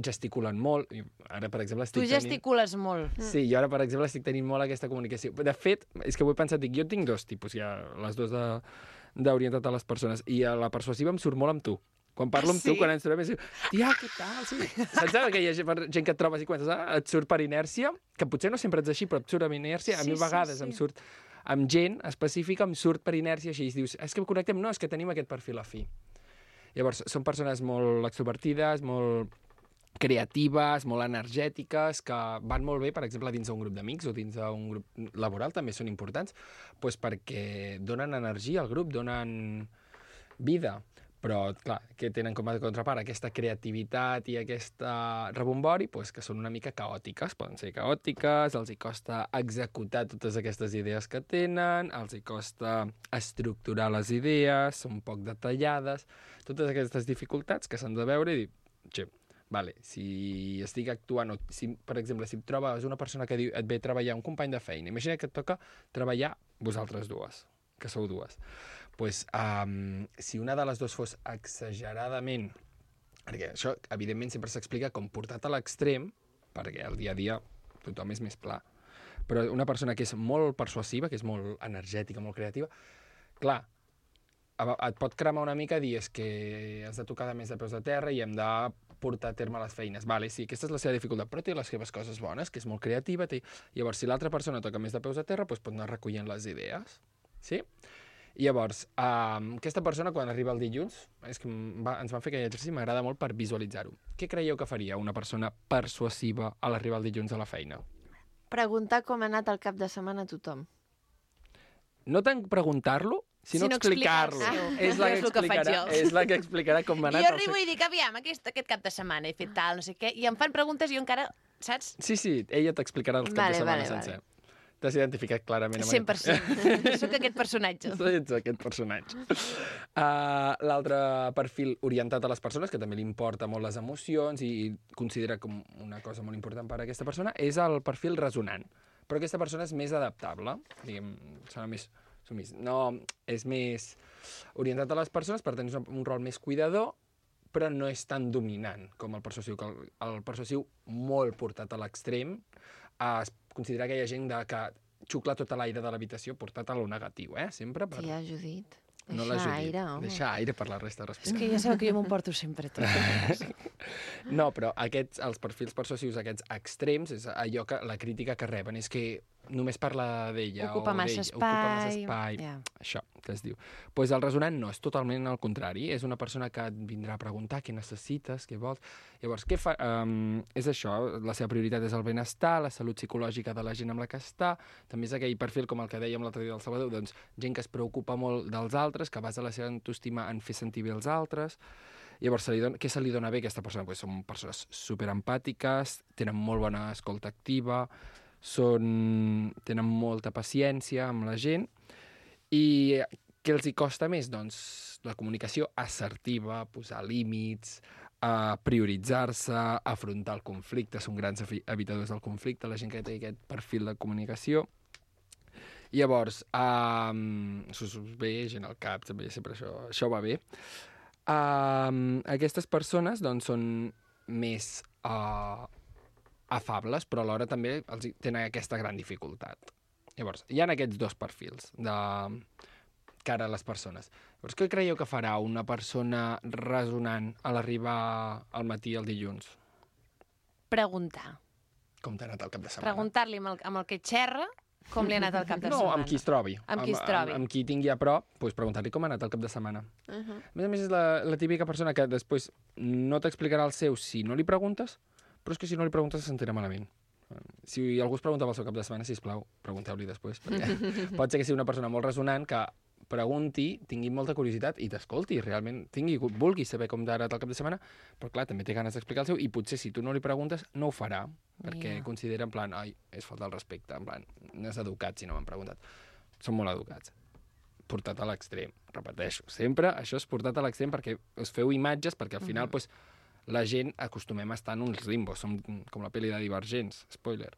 gesticulen molt. Ara, per exemple, estic Tu gesticules tenint... molt. Sí, jo ara, per exemple, estic tenint molt aquesta comunicació. De fet, és que ho he pensat, dic, jo tinc dos tipus, ja, les dues d'orientat a les persones, i a la persuasiva em surt molt amb tu. Quan parlo amb sí? tu, quan ens trobem, és tia, què tal? Sí. Saps que hi ha gent que et trobes i comences, ah, et surt per inèrcia, que potser no sempre ets així, però et surt amb inèrcia. A sí, mi a vegades sí, sí. em surt amb gent específica, em surt per inèrcia, així, i dius, és que connectem, no, és que tenim aquest perfil afí. Llavors, són persones molt extrovertides, molt creatives, molt energètiques, que van molt bé, per exemple, dins d'un grup d'amics o dins d'un grup laboral, també són importants, doncs perquè donen energia al grup, donen vida. Però, clar, que tenen com a contrapart aquesta creativitat i aquesta rebombori, doncs que són una mica caòtiques. Poden ser caòtiques, els hi costa executar totes aquestes idees que tenen, els hi costa estructurar les idees, són poc detallades, totes aquestes dificultats que s'han de veure i dir, che, vale, si estic actuant, o si, per exemple, si et trobes una persona que diu, et ve a treballar, un company de feina, imagina que et toca treballar vosaltres dues, que sou dues. Pues, um, si una de les dues fos exageradament... Perquè això, evidentment, sempre s'explica com portat a l'extrem, perquè al dia a dia tothom és més pla. Però una persona que és molt persuasiva, que és molt energètica, molt creativa, clar, et pot cremar una mica i dir és que has de tocar més de peus de terra i hem de portar a terme les feines. Vale, sí, aquesta és la seva dificultat, però té les seves coses bones, que és molt creativa. Té... Llavors, si l'altra persona toca més de peus de terra, doncs pot anar recollint les idees. Sí? I llavors, um, aquesta persona, quan arriba el dilluns, és que va, ens van fer aquell exercici, m'agrada molt per visualitzar-ho. Què creieu que faria una persona persuasiva a l'arribar el dilluns a la feina? Preguntar com ha anat el cap de setmana a tothom. No tant preguntar-lo, sinó, sinó explicar-lo. explicar-lo. És, la que És el que faig explicarà, jo. és la que explicarà com ha I anat. jo arribo i dic, aviam, aquest, aquest cap de setmana he fet tal, no sé què, i em fan preguntes i jo encara, saps? Sí, sí, ella t'explicarà els caps Vale, de setmana vale, sencer. vale. T'has identificat clarament amb cent per cent. Soc aquest personatge. Ets aquest personatge. Uh, L'altre perfil orientat a les persones, que també li importa molt les emocions i considera com una cosa molt important per a aquesta persona, és el perfil resonant. Però aquesta persona és més adaptable, diguem, serà més sumís. No, és més orientat a les persones, per tenir un rol més cuidador, però no és tan dominant com el persuasiu, que el, el persuasiu molt portat a l'extrem, es considera aquella gent de, que xucla tot l'aire de l'habitació portat a lo negatiu, eh? Sempre per... Tia, Judit, deixa no la Judit. aire, home. Deixa aire per la resta de És respirar. que ja sabeu que jo m'ho porto sempre tot. No, però aquests, els perfils persuasius, aquests extrems, és allò que la crítica que reben, és que només parla d'ella Ocupa o massa d'ell, ocupa massa espai. espai, Ja. això que es diu. Doncs pues el resonant no, és totalment al contrari, és una persona que et vindrà a preguntar què necessites, què vols. Llavors, què fa? Um, és això, la seva prioritat és el benestar, la salut psicològica de la gent amb la que està, també és aquell perfil, com el que dèiem l'altre dia del Salvador, doncs gent que es preocupa molt dels altres, que basa la seva autoestima en fer sentir bé els altres. Llavors, se li dona, què se li dona bé a aquesta persona? Pues són persones superempàtiques, tenen molt bona escolta activa, són, tenen molta paciència amb la gent. I què els hi costa més? Doncs la comunicació assertiva, posar límits, eh, prioritzar-se, afrontar el conflicte, són grans evitadors del conflicte, la gent que té aquest perfil de comunicació. Llavors, um, això us ve gent al cap, també sempre això, això va bé. Um, aquestes persones doncs, són més uh, afables, però alhora també els tenen aquesta gran dificultat. Llavors, hi ha aquests dos perfils de cara a les persones. Llavors, què creieu que farà una persona resonant a l'arribar al matí el dilluns? Preguntar. Com t'ha anat el cap de setmana? Preguntar-li amb, el, amb el que xerra com li ha anat el cap de no, setmana. amb qui es trobi. Amb qui es trobi. Amb, amb qui tingui a prop, doncs preguntar-li com ha anat el cap de setmana. Uh -huh. A més a més, és la, la típica persona que després no t'explicarà el seu si no li preguntes, però és que si no li preguntes se sentirà malament. Si algú es pregunta pel seu cap de setmana, sisplau, pregunteu-li després. Perquè pot ser que sigui una persona molt resonant que pregunti, tingui molta curiositat i t'escolti, realment, tingui, vulgui saber com t'ha anat el cap de setmana, però clar, també té ganes d'explicar el seu, i potser si tu no li preguntes, no ho farà, perquè Ja. considera en plan, ai, és falta el respecte, en plan, no és educat si no m'han preguntat. Són molt educats. Portat a l'extrem, repeteixo. Sempre això és portat a l'extrem perquè us feu imatges, perquè al final, pues, la gent acostumem a estar en uns limbos, som com la pel·li de Divergents, spoiler,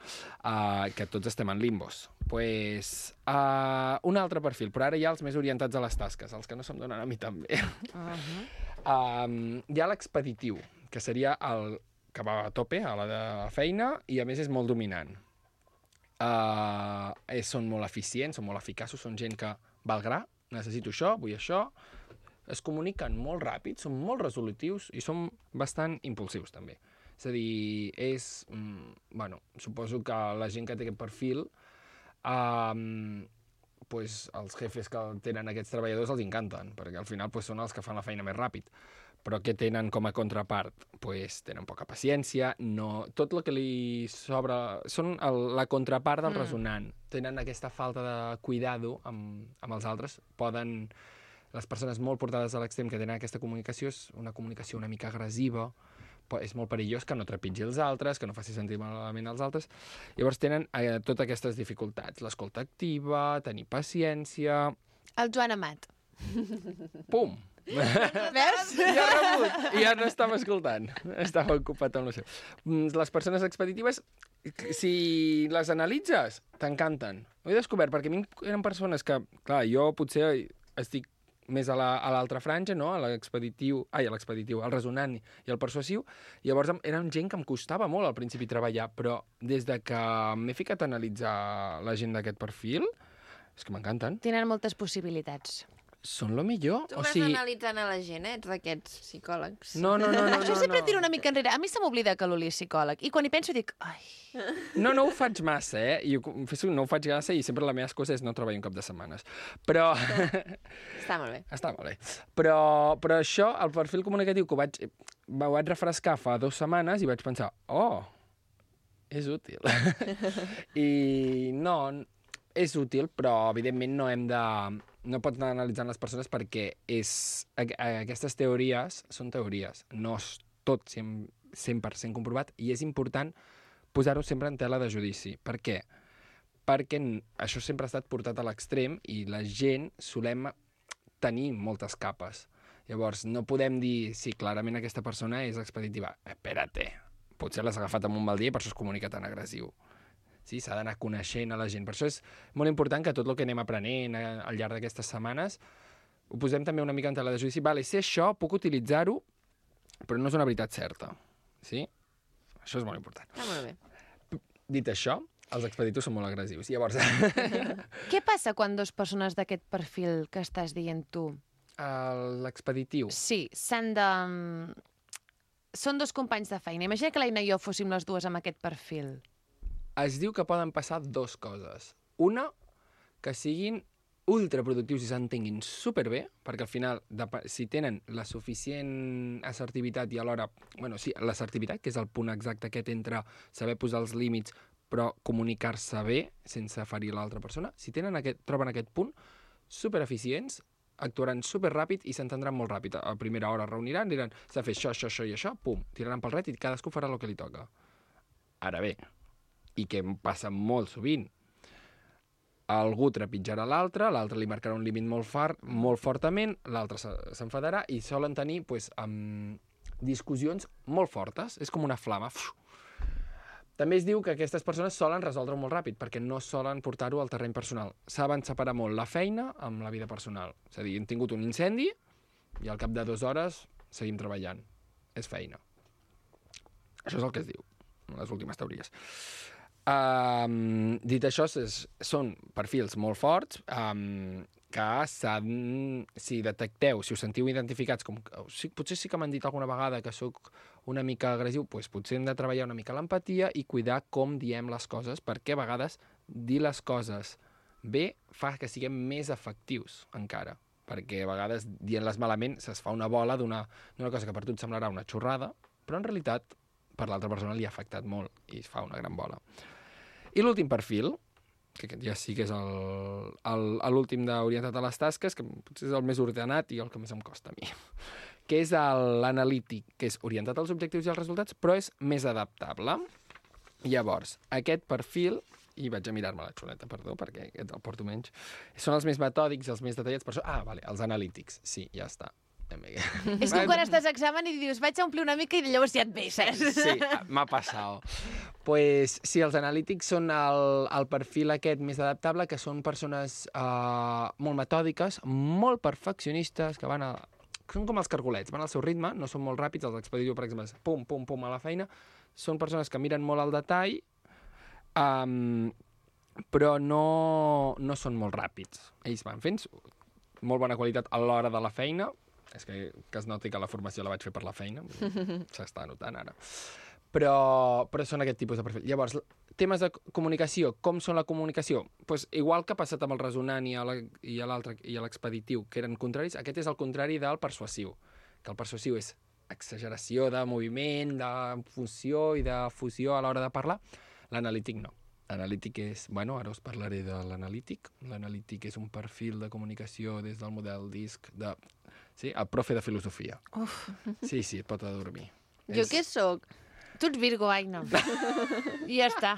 uh, que tots estem en limbos. Pues, uh, un altre perfil, però ara hi ha els més orientats a les tasques, els que no se'm donen a mi també. Uh-huh. um, hi ha l'expeditiu, que seria el que va a tope a la de feina i a més és molt dominant. Uh, és, són molt eficients, són molt eficaços, són gent que va al gra, necessito això, vull això, es comuniquen molt ràpid, són molt resolutius i són bastant impulsius, també. És a dir, és... Mm, bueno, suposo que la gent que té aquest perfil, um, pues, els jefes que tenen aquests treballadors els encanten, perquè al final pues, són els que fan la feina més ràpid. Però què tenen com a contrapart? Pues, tenen poca paciència, no... tot el que li sobra... Són el, la contrapart del mm. resonant. Tenen aquesta falta de cuidado amb, amb els altres, poden... Les persones molt portades a l'extrem que tenen aquesta comunicació és una comunicació una mica agressiva, és molt perillós que no trepitgi els altres, que no faci sentir malament als altres. Llavors tenen eh, totes aquestes dificultats. L'escolta activa, tenir paciència... El Joan Amat. Pum! Veus? Ja rebut! Ja no estava escoltant. Estava ocupat amb el seu. Les persones expeditives, si les analitzes, t'encanten. Ho he descobert, perquè a mi eren persones que, clar, jo potser estic més a l'altra la, franja, no? A l'expeditiu, ai, a l'expeditiu, al resonant i al persuasiu. Llavors eren gent que em costava molt al principi treballar, però des de que m'he ficat a analitzar la gent d'aquest perfil, és que m'encanten. Tenen moltes possibilitats. Són lo millor. Tu o vas sigui... analitzant a la gent, eh? Ets d'aquests psicòlegs. No, no, no. no Això no, sempre no. tiro una mica enrere. A mi se m'oblida que l'Uli és psicòleg. I quan hi penso dic, ai... No, no ho faig massa, eh? I ho confesso, no ho faig massa i sempre la meva excusa és no treballar un cap de setmanes. Però... Està molt bé. Està molt bé. Però, però això, el perfil comunicatiu que ho vaig, ho vaig refrescar fa dues setmanes i vaig pensar, oh, és útil. I no, és útil, però evidentment no hem de... No pots anar analitzant les persones perquè és, aquestes teories són teories, no és tot cent per cent comprovat i és important posar-ho sempre en tela de judici. Per què? Perquè això sempre ha estat portat a l'extrem i la gent solem tenir moltes capes. Llavors, no podem dir, sí, clarament aquesta persona és expeditiva. Espérate, potser l'has agafat amb un mal dia i per això es comunica tan agressiu. Sí, s'ha d'anar coneixent a la gent. Per això és molt important que tot el que anem aprenent al llarg d'aquestes setmanes ho posem també una mica en tela de judici. Vale, sé això, puc utilitzar-ho, però no és una veritat certa. Sí? Això és molt important. Està molt bé. Dit això, els expeditius són molt agressius. Llavors... Què passa quan dues persones d'aquest perfil que estàs dient tu? L'expeditiu. Sí, s'han de... Són dos companys de feina. Imagina que l'Aina i jo fóssim les dues amb aquest perfil. Es diu que poden passar dues coses. Una, que siguin ultraproductius i s'entenguin superbé, perquè al final, si tenen la suficient assertivitat i alhora... Bueno, sí, l'assertivitat, que és el punt exacte aquest entre saber posar els límits però comunicar-se bé sense ferir l'altra persona, si tenen aquest, troben aquest punt, supereficients, actuaran superràpid i s'entendran molt ràpid. A primera hora reuniran, diran, s'ha de fer això, això, això i això, pum, tiraran pel ret i cadascú farà el que li toca. Ara bé, i que passa molt sovint. Algú trepitjarà l'altre, l'altre li marcarà un límit molt, far, molt fortament, l'altre s'enfadarà i solen tenir pues, um, discussions molt fortes. És com una flama. També es diu que aquestes persones solen resoldre molt ràpid perquè no solen portar-ho al terreny personal. Saben separar molt la feina amb la vida personal. És a dir, hem tingut un incendi i al cap de dues hores seguim treballant. És feina. Això és el que es diu, les últimes teories. Um, dit això, és, són perfils molt forts um, que s'han, si detecteu, si us sentiu identificats, com, si, potser sí que m'han dit alguna vegada que sóc una mica agressiu, doncs potser hem de treballar una mica l'empatia i cuidar com diem les coses, perquè a vegades dir les coses bé fa que siguem més efectius encara, perquè a vegades dient-les malament se's fa una bola d'una cosa que per tu et semblarà una xorrada, però en realitat per l'altra persona li ha afectat molt i es fa una gran bola. I l'últim perfil, que aquest ja sí que és el- el- l'últim d'orientat a les tasques, que potser és el més ordenat i el que més em costa a mi, que és el- l'analític, que és orientat als objectius i als resultats, però és més adaptable. Llavors, aquest perfil, i vaig a mirar-me la xuleta, perdó, perquè aquest el porto menys, són els més metòdics, els més detallats, per això... Ah, vale, els analítics, sí, ja està. És com quan estàs a examen i dius vaig a omplir una mica i llavors ja et veixes. Sí, m'ha passat. Pues, sí, els analítics són el, el perfil aquest més adaptable, que són persones uh, molt metòdiques, molt perfeccionistes, que van a... Són com els cargolets, van al seu ritme, no són molt ràpids, els expeditius, per exemple, pum, pum, pum, a la feina. Són persones que miren molt al detall, um, però no, no són molt ràpids. Ells van fent molt bona qualitat a l'hora de la feina. És que, que es noti que la formació la vaig fer per la feina. S'està notant ara. Però, però són aquest tipus de perfil. Llavors, temes de comunicació. Com són la comunicació? Pues, igual que ha passat amb el resonant i a l'altre i a l'expeditiu, que eren contraris, aquest és el contrari del persuasiu. Que el persuasiu és exageració de moviment, de funció i de fusió a l'hora de parlar. L'analític no. L'analític és... Bueno, ara us parlaré de l'analític. L'analític és un perfil de comunicació des del model DISC de... Sí, el profe de filosofia. Uf. Sí, sí, et pot adormir. Jo és... què sóc? Tu ets Virgo, Aina. I ja està.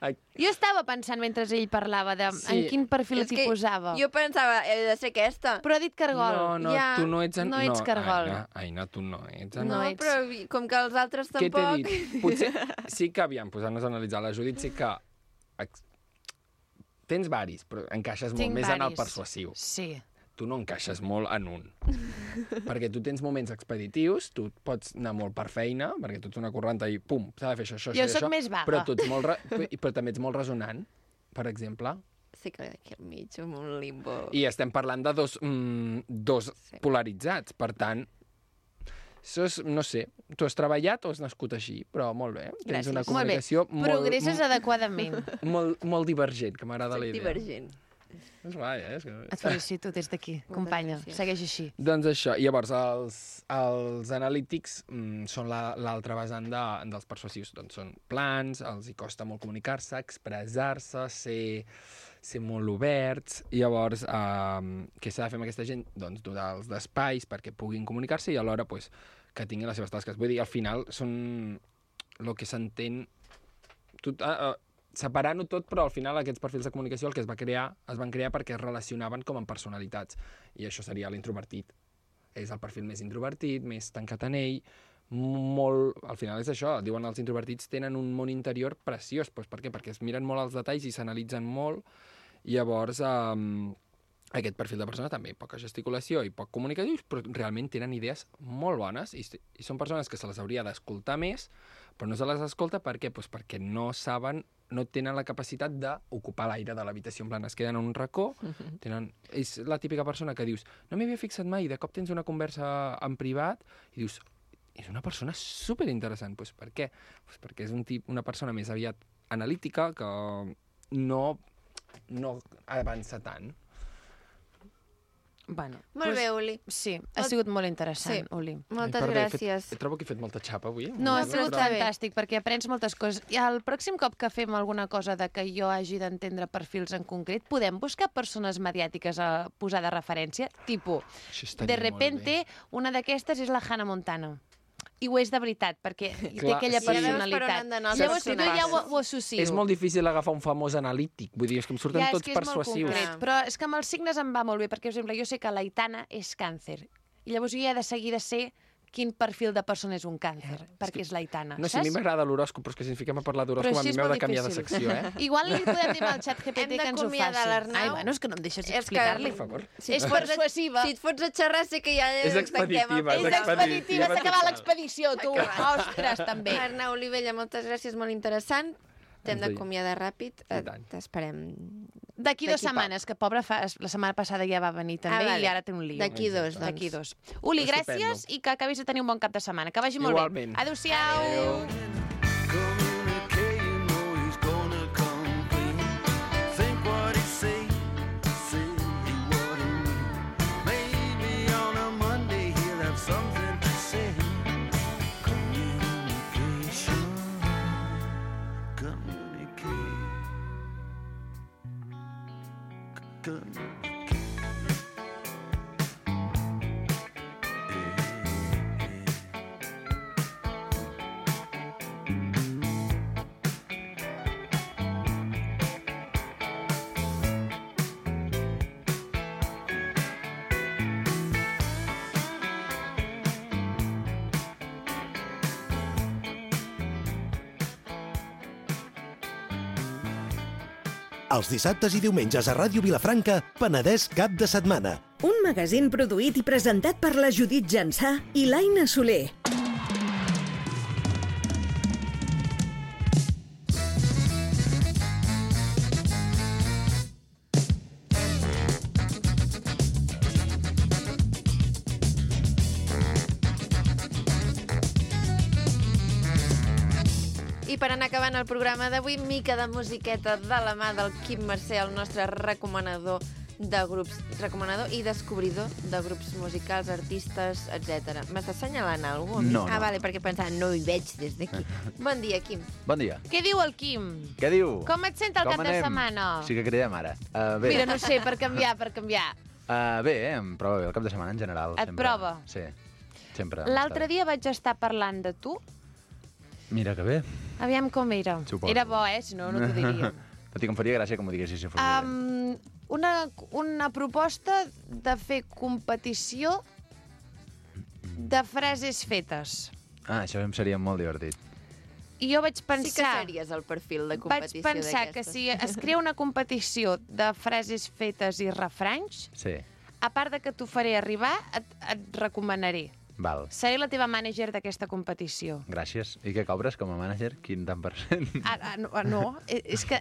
Ai. Jo estava pensant mentre ell parlava de Sí. en quin perfil És t'hi que posava. Jo pensava, he de ser aquesta. Però ha dit cargol. No, no, Ja, tu no ets... En... no ets cargol. Aina, Aina, tu no ets... En... No, no ets. però vi- com que els altres Què t'he tampoc... dit? Potser sí que, aviam, posant-nos a analitzar la Judit, sí que ex- tens varis, però encaixes molt Tinc més en el varis. persuasiu. Sí. Tu no encaixes molt en un. Perquè tu tens moments expeditius, tu pots anar molt per feina, perquè tu ets una correnta i pum, s'ha de fer això, això, Jo això, sóc això, més vaga. però, tu ets molt re... però també ets molt resonant, per exemple. Sí que aquí al mig, amb un limbo. I estem parlant de dos, mm, dos Sí. polaritzats, per tant, això és, no sé, tu has treballat o has nascut així, però molt bé. Tens Gràcies. una Molt bé. comunicació molt, Progresses molt, adequadament. molt, molt divergent, que m'agrada la Soc idea. divergent. És guai, eh? És que... Et felicito des d'aquí, companya. gràcies. Segueix així. Doncs això, i llavors els, els analítics mm, són la- l'altra vessant de, dels persuasius. Doncs són plans, els hi costa molt comunicar-se, expressar-se, ser, ser molt oberts. I llavors, eh, què s'ha de fer amb aquesta gent? Doncs donar-los d'espais perquè puguin comunicar-se i alhora pues, que tinguin les seves tasques. Vull dir, al final són el que s'entén... Tot, uh, uh, separant-ho tot, però al final aquests perfils de comunicació el que es va crear, es van crear perquè es relacionaven com amb personalitats. I això seria l'introvertit. És el perfil més introvertit, més tancat en ell, molt... Al final és això, diuen els introvertits tenen un món interior preciós. Pues per què? Perquè es miren molt els detalls i s'analitzen molt. I llavors, um, aquest perfil de persona també, poca gesticulació i poc comunicatiu, però realment tenen idees molt bones i, i són persones que se les hauria d'escoltar més, però no se les escolta per què? Pues perquè no saben, no tenen la capacitat d'ocupar l'aire de l'habitació, en plan, es queden en un racó, tenen... és la típica persona que dius, no m'hi havia fixat mai, de cop tens una conversa en privat i dius, és una persona superinteressant. Pues per què? Pues perquè és un tip, una persona més aviat analítica que no, no avança tant. Bueno, Molt bé, Uli. Sí, ha sigut molt interessant, Sí. Uli. Moltes Ai, perdó, he gràcies. Fet, trobo que he fet molta xapa avui. No, ha No, sigut però està bé. fantàstic, perquè aprens moltes coses. I el pròxim cop que fem alguna cosa de que jo hagi d'entendre perfils en concret, podem buscar persones mediàtiques a posar de referència? Tipo, Això estaria de molt repente, bé. una d'aquestes és la Hannah Montana. I ho és de veritat, perquè té Clar, aquella sí. Ja veus per on personalitat. han d'anar els Llavors, jo ja ho, personatges. ho associo. És molt difícil agafar un famós analític. Vull dir, és que em surten ja, és tots que és molt persuasius. concret, Ja. però és que amb els signes em va molt bé, perquè, per exemple, jo sé que l'Aitana és càncer, i llavors jo ja he de seguir de ser quin perfil de persona és un càncer, perquè és l'Aitana, No sé, a mi saps? m'agrada l'horòscop, però és que si ens fiquem a parlar d'horòscop, Però a així mi és m'heu de molt canviar de difícil. secció, eh? Igual li podem dir al xat G P Hem T que ens ho d'acomiadar faci. l'Arnau. Ai, bueno, és que no em deixes És que- explicar-li. Per favor. Si És et fots a- persuasiva. Si et fots a xerrar, sé que ja És tanquem el expeditiva, és programa. És expeditiva, s'ha acabat total. l'expedició, tu. Ostres, també. Arnau Olivella, moltes gràcies, molt interessant. T'hem Ens veiem. d'acomiadar ràpid. I Eh, tant. T'esperem. D'aquí dues D'aquí poc. setmanes, que pobra fa... la setmana passada ja va venir també Ah, vale. i ara té un lío. D'aquí dos, doncs. D'aquí dos. Uli, Estupendo. gràcies i que acabis de tenir un bon cap de setmana. Que vagi molt Igualment. bé. Adéu-siau. Adéu. Communicate, you know he's gonna come clean. Think what he say, say what he mean. Maybe on a Monday he'll have something to say. Communication, communicate. Els dissabtes i diumenges a Ràdio Vilafranca, Penedès cap de setmana. Un magazín produït i presentat per la Judit Jansà i l'Aina Soler. I per anar acabant el programa d'avui, mica de musiqueta de la mà del Quim Mercè, el nostre recomanador de grups, recomanador i descobridor de grups musicals, artistes, etcètera. M'estàs assenyalant alguna cosa? No, Ah, no. vale, perquè pensava, no hi veig des d'aquí. Bon dia, Quim. Bon dia. Què diu el Quim? Què diu? Com et sent el Com cap de anem? setmana? Sí que cridem ara. Uh, bé. Mira, no sé, per canviar, per canviar. Uh, bé, eh? Em prova bé el cap de setmana en general. Et sempre. prova? Sí, sempre. L'altre dia vaig estar parlant de tu. Mira que bé. Aviam com era. Suposo. Era bo, eh? Si no, no t'ho diríem. Tot i que em faria gràcia que m'ho diguessis si fos dolent. Um, una, una proposta de fer competició de frases fetes. Ah, això em seria molt divertit. I jo vaig pensar... Sí que series el perfil de competició Vaig pensar que d'aquestes. si es crea una competició de frases fetes i refranys, Sí, a part de que t'ho faré arribar, et, et recomanaré. val. Seré la teva mànager d'aquesta competició. Gràcies. I què cobres com a mànager? Quin tant per cent? Ah, ah, no, ah, no, eh, és que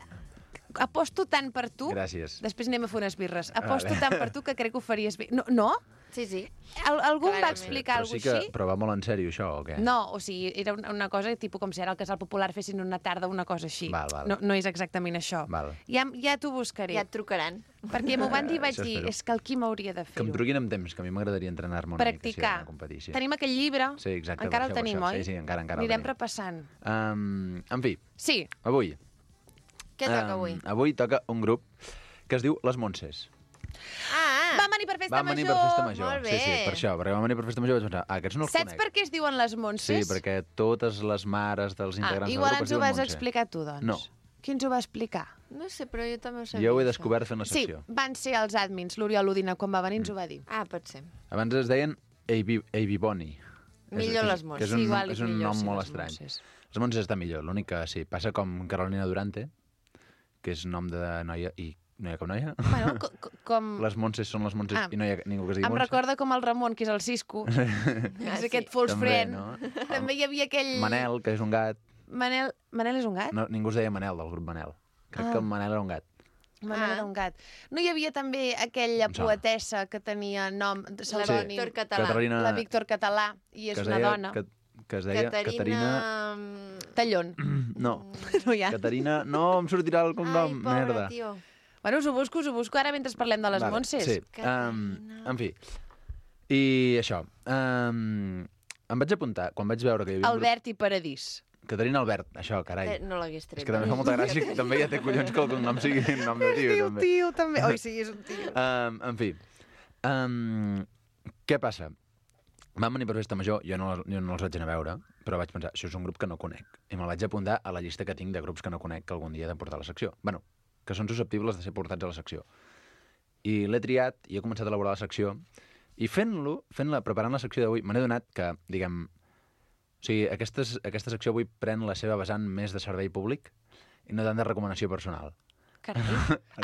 aposto tant per tu... Gràcies. Després anem a fer unes birres. Aposto Vale. tant per tu que crec que ho faries bé. No? no? Sí, sí. Al, algú em va Clarament. explicar Però alguna sí que... així? Però va molt en sèrio, això, o què? No, o sigui, era una, una cosa tipus com si ara al Casal Popular fessin una tarda una cosa així. Val, val. No, no és exactament això. Val. Ja, ja t'ho buscaré. Ja et trucaran. Perquè m'ho van dir i vaig Això dir, espero. és que el Quim hauria de Que em fer-ho. truquin amb temps, que a mi m'agradaria entrenar-me una Practicar. mica, sí, en una competició. Tenim aquell llibre. Sí, exacte, Encara per el això, per tenim, això. oi? Sí, sí, encara, encara el Anirem tenim. repassant. Um, en fi, Sí, avui... Què toca em, avui? Avui toca un grup que es diu Les Montses. Ah, vam venir per festa Van venir major. per festa major. Molt Sí, sí, bé. per això, perquè van venir per festa major vaig pensar, ah, aquests no els Saps conec. per què es diuen les Montses? Sí, perquè totes les mares dels Ah, integrants igual del grup ens es ho diuen vas Montse. explicar tu, doncs. No. Qui ens ho va explicar? No sé, però jo també ho sabia. Jo ho he això. descobert fent la Sí, secció. van ser els admins. L'Oriol Udina, quan va venir, ens ho va dir. Ah, pot ser. Abans es deien A B Boni. Millor les Que Montses. és un, Sí, igual nom, és és un millor, nom sí, molt les estrany. Montses. Les Montses està millor, l'únic que sí, passa com Carolina Durante, que és nom de noia i no hi ha cap noia. Bueno, co co com... Les Montses són les Montses Ah, i no hi ha ningú que es digui Em Montse. recorda com el Ramon, que és el Cisco. Ah, és sí. aquest false També, friend. no? També hi havia aquell... Manel, que és un gat. Manel... Manel és un gat? No, ningú es deia Manel, del grup Manel. Crec Ah. que el Manel era un gat. Manel Ah. era un gat. No hi havia també aquella Em sona. poetessa que tenia nom de La pseudònim? Víctor Català. Caterina- La Víctor Català, i és que es una deia, dona. Que, que es deia Caterina... Caterina... mm, Tallón. No, No hi ha. Caterina... No, em sortirà el Ai, cognom, pobra, merda. tio. Bueno, us ho busco, us ho busco ara mentre parlem de les Vale, Montses. Sí, um, Caterina. en fi. I això, um, em vaig apuntar, quan vaig veure que hi havia un Albert i Paradís. grup... Caterina Albert, això, carai. Eh, no l'hagués És tret. que també fa molta gràcia que també ja té collons que el cognom sigui nom de tio, Diu també. tio, també. Oi, sí, és un tio. Um, en fi, um, què passa? Van venir per festa major, jo no, jo no els vaig anar a veure, però vaig pensar, això és un grup que no conec. I me'l vaig apuntar a la llista que tinc de grups que no conec que algun dia he de portar a la secció. Bueno, que són susceptibles de ser portats a la secció. I l'he triat i he començat a elaborar la secció. I fent-lo, fent-la, preparant la secció d'avui, me n'he donat que, diguem... O sigui, aquesta, aquesta secció avui pren la seva vessant més de servei públic i no tant de recomanació personal. Carai,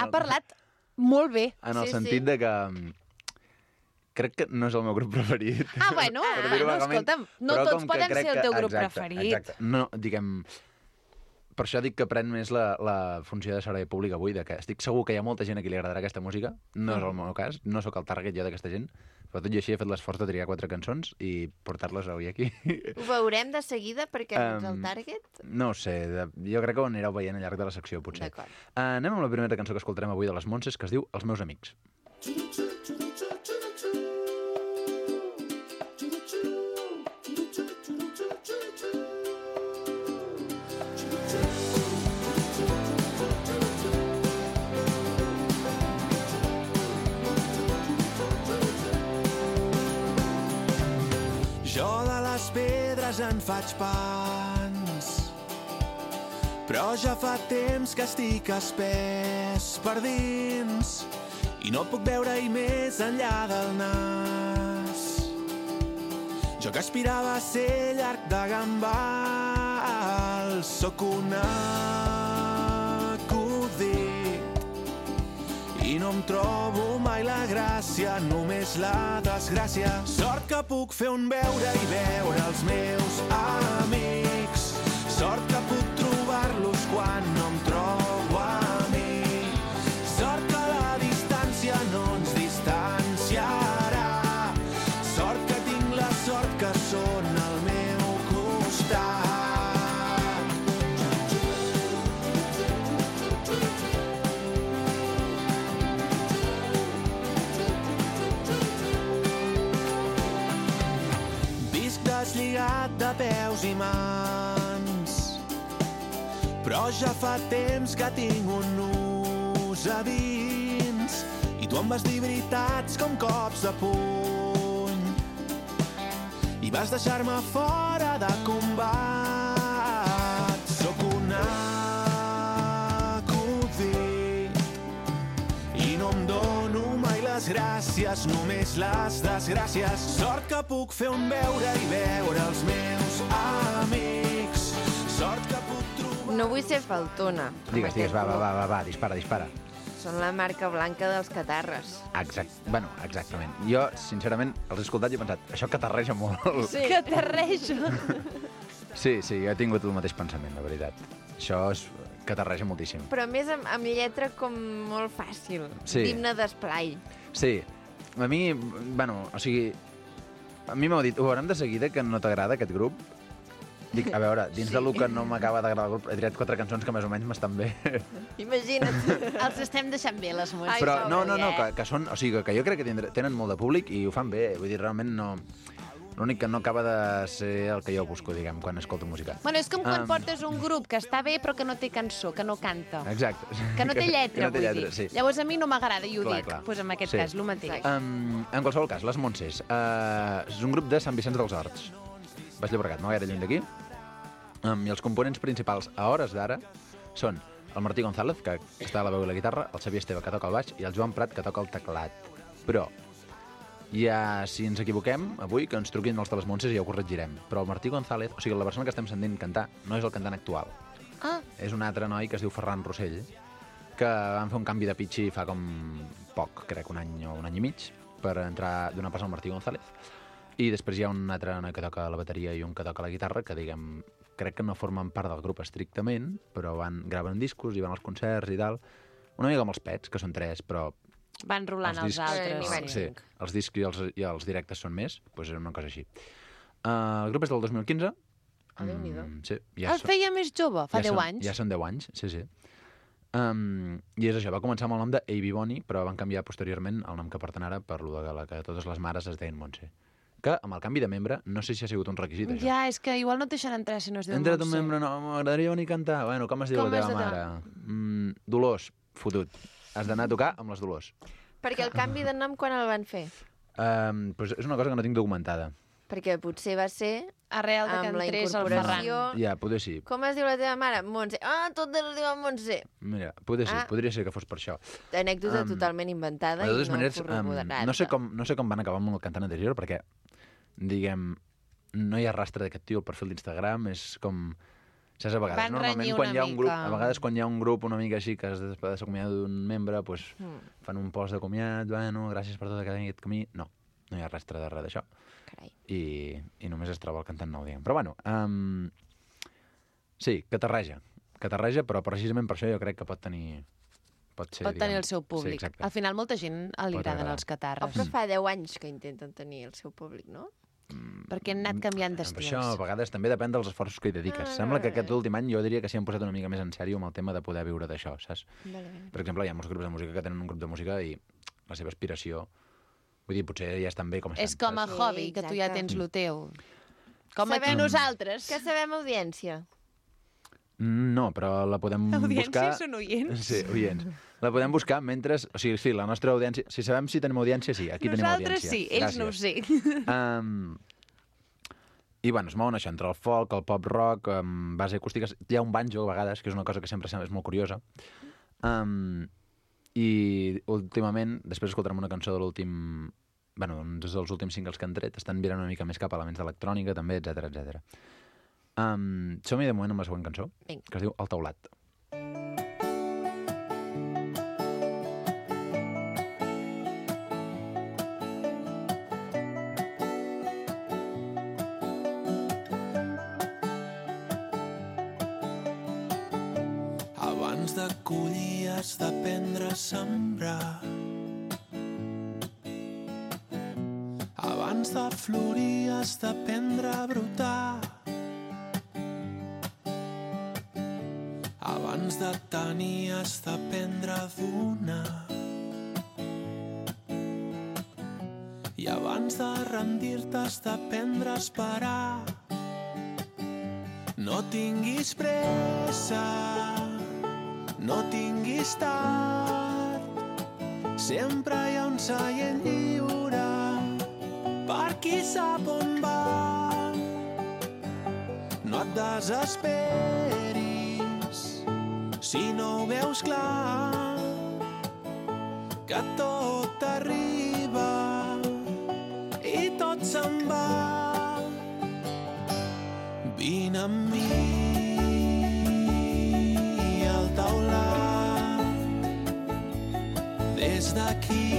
ha parlat molt bé. En el Sí, sentit sí. de que... mm, crec que no és el meu grup preferit. Ah, bueno, Per dir-ho bueno, vagament, escolta'm, no però tots com que poden crec ser el que- teu grup exacte, preferit. Exacte. No, diguem... Per això dic que pren més la, la funció de servei públic avui, de que estic segur que hi ha molta gent a qui li agradarà aquesta música, no és el meu cas, no sóc el target jo d'aquesta gent, però tot i així he fet l'esforç de triar quatre cançons i portar-les avui aquí. Ho veurem de seguida perquè no ets el Em, target? No ho sé, de, jo crec que ho anireu veient al llarg de la secció, potser. D'acord. Uh, anem amb la primera cançó que escoltarem avui de les Montses, que es diu Els meus amics. Jo de les pedres en faig pans, però ja fa temps que estic espès per dins i no puc veure-hi més enllà del nas. Jo que aspirava a ser llarg de gambal, sóc un acudit i no em trobo mai la gràcia, només la desgràcia. Sort que puc fer un veure i veure els meus amics. Sort que puc trobar-los quan no em trobo a mi. Sort que la distància no ens distanciarà. Sort que tinc la sort que són al meu costat. Deslligat de peus i mans, però ja fa temps que tinc un nus a dins i tu em vas dir veritats com cops de puny i vas deixar-me fora de combat. Sóc un acudit i no em dono mai les gràcies, només les desgràcies. Sort que puc fer un veure i veure els meus amics. Sort que puc trobar... No vull ser faltona. Digues, digues, va, va, va, va, va, dispara, dispara. Són la marca blanca dels catarres. Exact, bueno, exactament. Jo, sincerament, els he escoltat i he pensat, això catarreja molt. Sí. Catarreja. Sí, sí, jo he tingut el mateix pensament, la veritat. Això és... catarreja moltíssim. Però a més amb, amb lletra com molt fàcil. Sí. D'himne d'esplai. Sí. A mi, bueno, o sigui... A mi m'heu dit, ho veurem de seguida, que no t'agrada aquest grup? Dic, a veure, dins sí. de lo que no m'acaba d'agradar el grup, he triat quatre cançons que més o menys m'estan bé. Imagina't. Els estem deixant bé, les músiques. Però no, no, no, que, que són... O sigui, que jo crec que tindre, tenen molt de públic i ho fan bé. Vull dir, realment no... L'únic que no acaba de ser el que jo busco, diguem, quan escolto música. Bueno, és com quan Um, portes un grup que està bé però que no té cançó, que no canta. Exacte. Que no té lletra, que no té vull lletra, dir. sí. Llavors a mi no m'agrada i ho Clar, dic. clar. Pues en aquest Sí. cas, el mateix. Um, en qualsevol cas, les Montses. Uh, és un grup de Sant Vicenç dels Horts. Baix Llobregat, no gaire lluny d'aquí. Um, I els components principals a hores d'ara són el Martí González, que està a la veu i la guitarra, el Xavier Esteve, que toca el baix, i el Joan Prat, que toca el teclat. Però ja, si ens equivoquem, avui, que ens truquin els de les Montses i ja ho corregirem. Però el Martí González, o sigui, la persona que estem sentint cantar, no és el cantant actual. Ah. És un altre noi que es diu Ferran Rossell, que van fer un canvi de pitxi fa com poc, crec, un any o un any i mig, per entrar d'una pas al Martí González. I després hi ha un altre noi que toca la bateria i un que toca la guitarra, que, diguem, crec que no formen part del grup estrictament, però van graven discos i van als concerts i tal. Una mica com els Pets, que són tres, però... Van rolant els, discs, altres. Sí, els discs i els, i els directes són més, doncs és una cosa així. Uh, el grup és del dos mil quinze. Ah, Déu-n'hi-do. Mm, sí, ja El feia més jove, fa ja deu són, anys. Ja són deu anys, sí, sí. Um, I és això, va començar amb el nom de A B Bonnie, però van canviar posteriorment el nom que porten ara per lo de la que totes les mares es deien Montse. Que amb el canvi de membre, no sé si ha sigut un requisit, això. Ja, és que igual no et deixen entrar si no es diu He entrat un Montse. membre, no, m'agradaria venir a cantar. Bueno, com es diu Com la es teva diu? mare? Mm, Dolors, fotut. Has d'anar a tocar amb les Dolors. Perquè el canvi de nom quan el van fer? Um, pues és una cosa que no tinc documentada. Perquè potser va ser Arrel de que amb la entrés el Ferran. incorporació... Ja, poder sí. Com es diu la teva mare? Montse. Ah, totes es diuen Montse. Mira, poder sí, Ah. podria ser que fos per això. Anècdota Um, totalment inventada De i totes no maneres, um, corroborada. no, sé com, no sé com van acabar amb el cantant anterior, perquè, diguem, no hi ha rastre d'aquest tio al perfil d'Instagram, és com... Saps, a vegades, Van normalment, renyir quan una hi ha un grup, mica. a vegades quan hi ha un grup una mica així que es de s'acomiada d'un membre, pues, Mm. fan un post de comiat, bueno, gràcies per tot aquest camí. No, no hi ha rastre de res d'això. Carai. I, I només es troba el cantant nou, diguem. Però bueno, um, sí, catarreja. Catarreja, però precisament per això jo crec que pot tenir... Pot, ser, Pot tenir diguem, el seu públic. Sí, exacte. Al final, molta gent li Pot agraden agradar. els Oh, catarres. però fa deu anys que intenten tenir el seu públic, no? Perquè han anat canviant Per d'estils. això, a vegades, també depèn dels esforços que hi dediques. Ah, Sembla que vale. aquest últim any jo diria que s'hi han posat una mica més en sèrio amb el tema de poder viure d'això, saps? Vale, vale. Per exemple, hi ha molts grups de música que tenen un grup de música i la seva aspiració... Vull dir, potser ja estan bé com estan. És com a Sí, hobby, que tu ja exacte. tens el teu. Com aquí Sabem- nosaltres. Que sabem audiència. Mm, No, però la podem Audiència buscar... són oients. Sí, oients. La podem buscar mentre... O sigui, sí, la nostra audiència... Si sabem si tenim audiència, sí, aquí Nosaltres tenim audiència. sí, ells no ho sé. Um, I, bueno, es mouen això entre el folk, el pop-rock, um, base acústica... Hi ha un banjo, a vegades, que és una cosa que sempre és molt curiosa. Um, I, últimament, després escoltarem una cançó de l'últim... Bueno, uns dels últims singles que han tret, estan virant una mica més cap a elements d'electrònica, també, etcètera, etcètera. Um, som-hi de moment amb la següent cançó, Vinga. que es diu El taulat. de collir has d'aprendre a sembrar. Abans de florir has d'aprendre a brotar. Abans de tenir has d'aprendre a donar. I abans de rendir-te has d'aprendre a esperar. No tinguis pressa, no tinguis tard. Sempre hi ha un seient lliure per qui sap on va. No et desesperis si no ho veus clar, que tot arriba i tot se'n va. Vine amb mi al taulat. Des d'aquí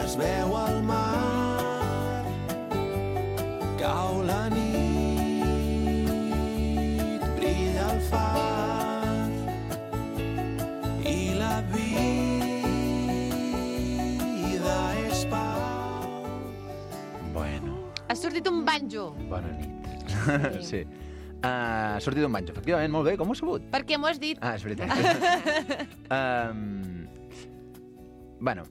es veu el mar. Cau la nit, brilla el far i la vida és pau. Bueno. Ha sortit un banjo. Bona nit. Sí. Uh, ha sortit un banjo, efectivament, molt bé. Com ho has sabut? Perquè m'ho has dit. Ah, és veritat. um, bueno,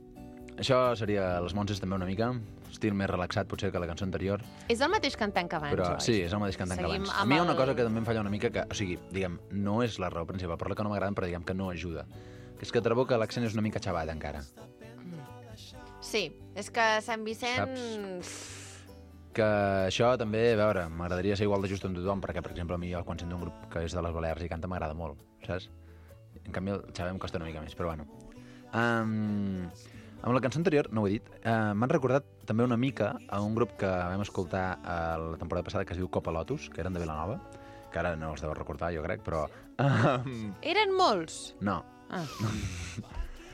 això seria Les Monses també una mica. Estil més relaxat, potser, que la cançó anterior. És el mateix cantant que abans, Però oi? sí, és el mateix cantant que Seguim abans. A amb mi hi ha una el- cosa que també em falla una mica, que, o sigui, diguem, no és la raó principal, per la que no m'agraden, però diguem que no ajuda. Que és que trobo que l'accent és una mica xavat, encara. Sí, és que Sant Vicent... Que això també, a veure, m'agradaria ser igual de just amb tothom, perquè, per exemple, a mi quan sento un grup que és de les Balears i canta m'agrada molt, saps? En canvi, el xavat em costa una mica més, però bueno. Um, amb la cançó anterior, no ho he dit, uh, m'han recordat també una mica a un grup que vam escoltar a la temporada passada que es diu Copa Lotus, que eren de Vilanova, que ara no els deu recordar, jo crec, però... Um, Eren molts? no. Ah.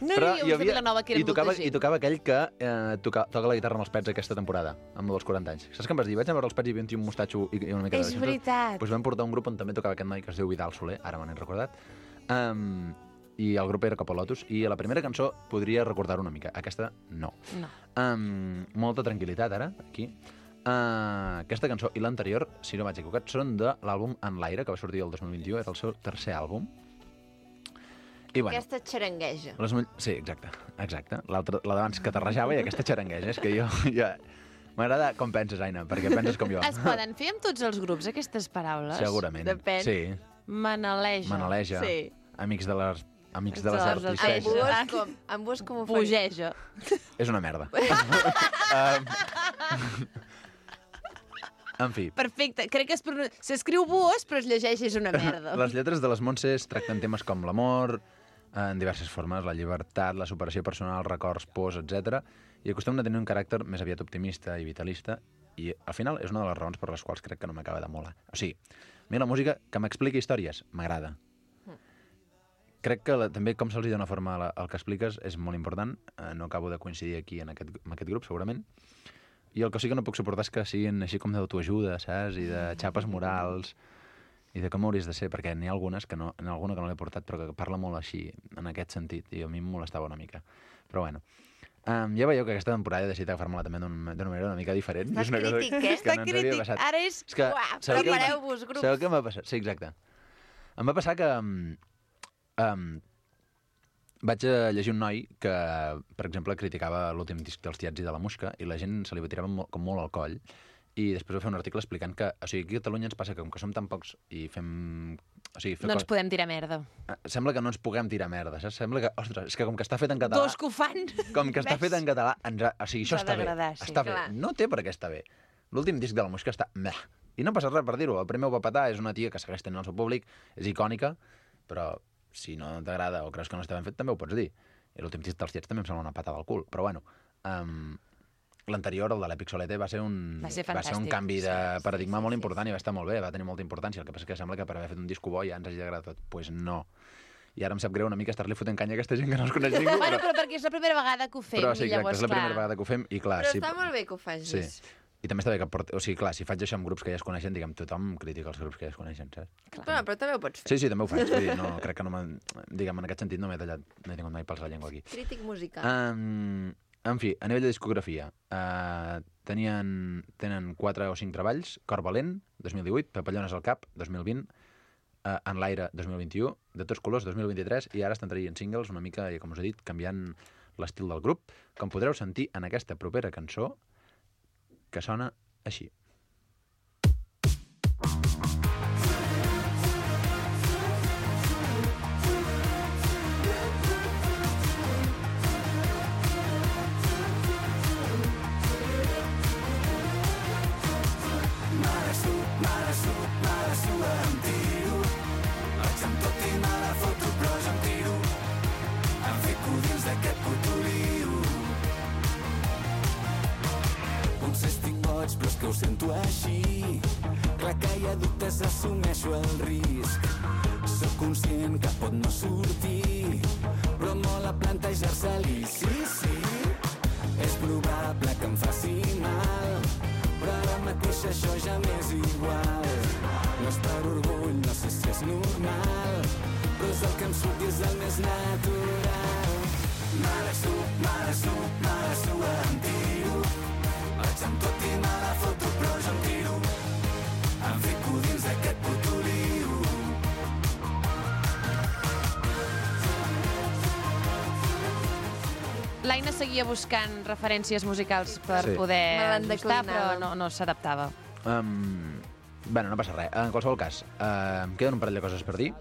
No Però hi havia uns de Vilanova que i eren tocava, molta gent. I tocava aquell que eh, toca, toca la guitarra amb els pets aquesta temporada, amb els quaranta anys. Saps què em vas dir? Vaig a veure els pets i hi havia un tio amb mostatxo i, i una mica És de... veritat. Doncs vam portar un grup on també tocava aquest noi que es diu Vidal Soler, ara me n'he recordat, um, i el grup era Copa Lotus, i la primera cançó podria recordar una mica, aquesta no. No. Um, molta tranquil·litat ara, aquí. Uh, aquesta cançó i l'anterior, si no vaig equivocat, són de l'àlbum En l'aire, que va sortir el dos mil vint-i-u, era el seu tercer àlbum. I bueno, Aquesta xarangueja. les mull... Sí, exacte, exacte. L'altra, la d'abans que terrejava i aquesta xarangueja. És que jo... ja... M'agrada com penses, Aina, perquè penses com jo. Es poden fer amb tots els grups, aquestes paraules? Segurament. Depèn. Sí. Manaleja. Manaleja. Sí. Amics de les... Amics de De les les arts. arts. Amb vos com, amb vos com ho faria? Pugeja. És una merda. um... En fi. Perfecte. Crec que es pronun... s'escriu buos, però es llegeix és una merda. Les lletres de les Montses tracten temes com l'amor, en diverses formes, la llibertat, la superació personal, records, pors, etcètera, i acostumen a tenir un caràcter més aviat optimista i vitalista, i al final és una de les raons per les quals crec que no m'acaba de molar. O sigui, a mi la música que m'expliqui històries m'agrada. Crec que la, també com se'ls dona forma al, al que expliques és molt important. Eh, no acabo de coincidir aquí en aquest, en aquest grup, segurament. I el que sí que no puc suportar és que siguin així com d'autoajuda, saps? I de xapes morals, i de com hauries de ser, perquè n'hi ha algunes que no, n'hi ha alguna que no l'he portat, però que parla molt així, en aquest sentit, i a mi em molestava una mica. Però bueno. Um, ja veieu que aquesta temporada he decidit agafar-me-la també d'una manera una mica diferent. Està És una cosa crític, eh? que Està no ens havia crític. passat. Ara és... És que, Uah, sabeu què em- prepareu-vos, grups. Sabeu què m'ha passat? Sí, exacte. Em va passar que... Um, um, vaig a llegir un noi que, per exemple, criticava l'últim disc dels Tiets i de la Musca i la gent se li tirava molt, com molt al coll, i després va fer un article explicant que, o sigui, aquí a Catalunya ens passa que com que som tan pocs i fem... O sigui, fer No ens cos... podem tirar merda. Sembla que no ens puguem tirar merda, saps? Sembla que, ostres, és que com que està fet en català... Dos que ho fan. Com que està fet en català, ens ha... o sigui, això Ens ha està bé. d'agradar, sí, Està clar. bé. No té per què estar bé. L'últim disc de la Musca està... Meh. I no passa res per dir-ho. El primer ho va petar, és una tia que segueix tenint el seu públic, és icònica, però si no t'agrada o creus que no està ben fet, també ho pots dir. I l'últim disc dels Tiets també em sembla una patada al cul. Però bueno, um, l'anterior, el de l'Èpic Solete, va ser un, Va ser va ser un fantàstic. canvi de Sí, sí, paradigma molt important i va estar molt bé, va tenir molta importància. El que passa és que sembla que per haver fet un disco bo ja ens hagi agradat tot. Doncs pues no. I ara em sap greu una mica estar-li fotent canya a aquesta gent que no els coneix ningú. Bueno, però perquè és la primera vegada que ho fem, Però sí, i exacte, llavors, és la primera clar. vegada que ho fem i clar... Però sí, està molt bé que ho facis. Sí. I també està bé que porti... O sigui, clar, si faig això amb grups que ja es coneixen, diguem, tothom critica els grups que ja es coneixen, saps? Però, però també ho pots fer. Sí, sí, també ho faig. Vull dir, no, crec que no m'ha... Diguem, en aquest sentit no m'he tallat, no he tingut mai pels la llengua aquí. Crític musical. Um, en fi, a nivell de discografia, uh, tenien, tenen quatre o cinc treballs: Cor valent, dos mil divuit, Papallones al cap, dos mil vint, uh, En l'aire, dos mil vint-i-u, De tots colors, dos mil vint-i-tres, i ara estan traient singles una mica, com us he dit, canviant l'estil del grup, com podreu sentir en aquesta propera cançó, que sona així. Però és que ho sento així. Clar que hi ha dubtes, assumeixo el risc. Soc conscient que pot no sortir, però mola plantejar-se-li. Sí, sí, és probable que em faci mal, però ara mateix això ja m'és igual. No és per orgull, no sé si és normal, però és el que em surt i és el més natural. M'abraço, m'abraço, m'abraço, em tiro. Vaig amb tot i me la foto, però jo em tiro. Em fico dins d'aquest puto lío. L'Aina seguia buscant referències musicals per Sí. poder Me l'han ajustar, però declinat. no, no s'adaptava. Um, bueno, no passa res. En qualsevol cas, uh, em queden un parell de coses per dir.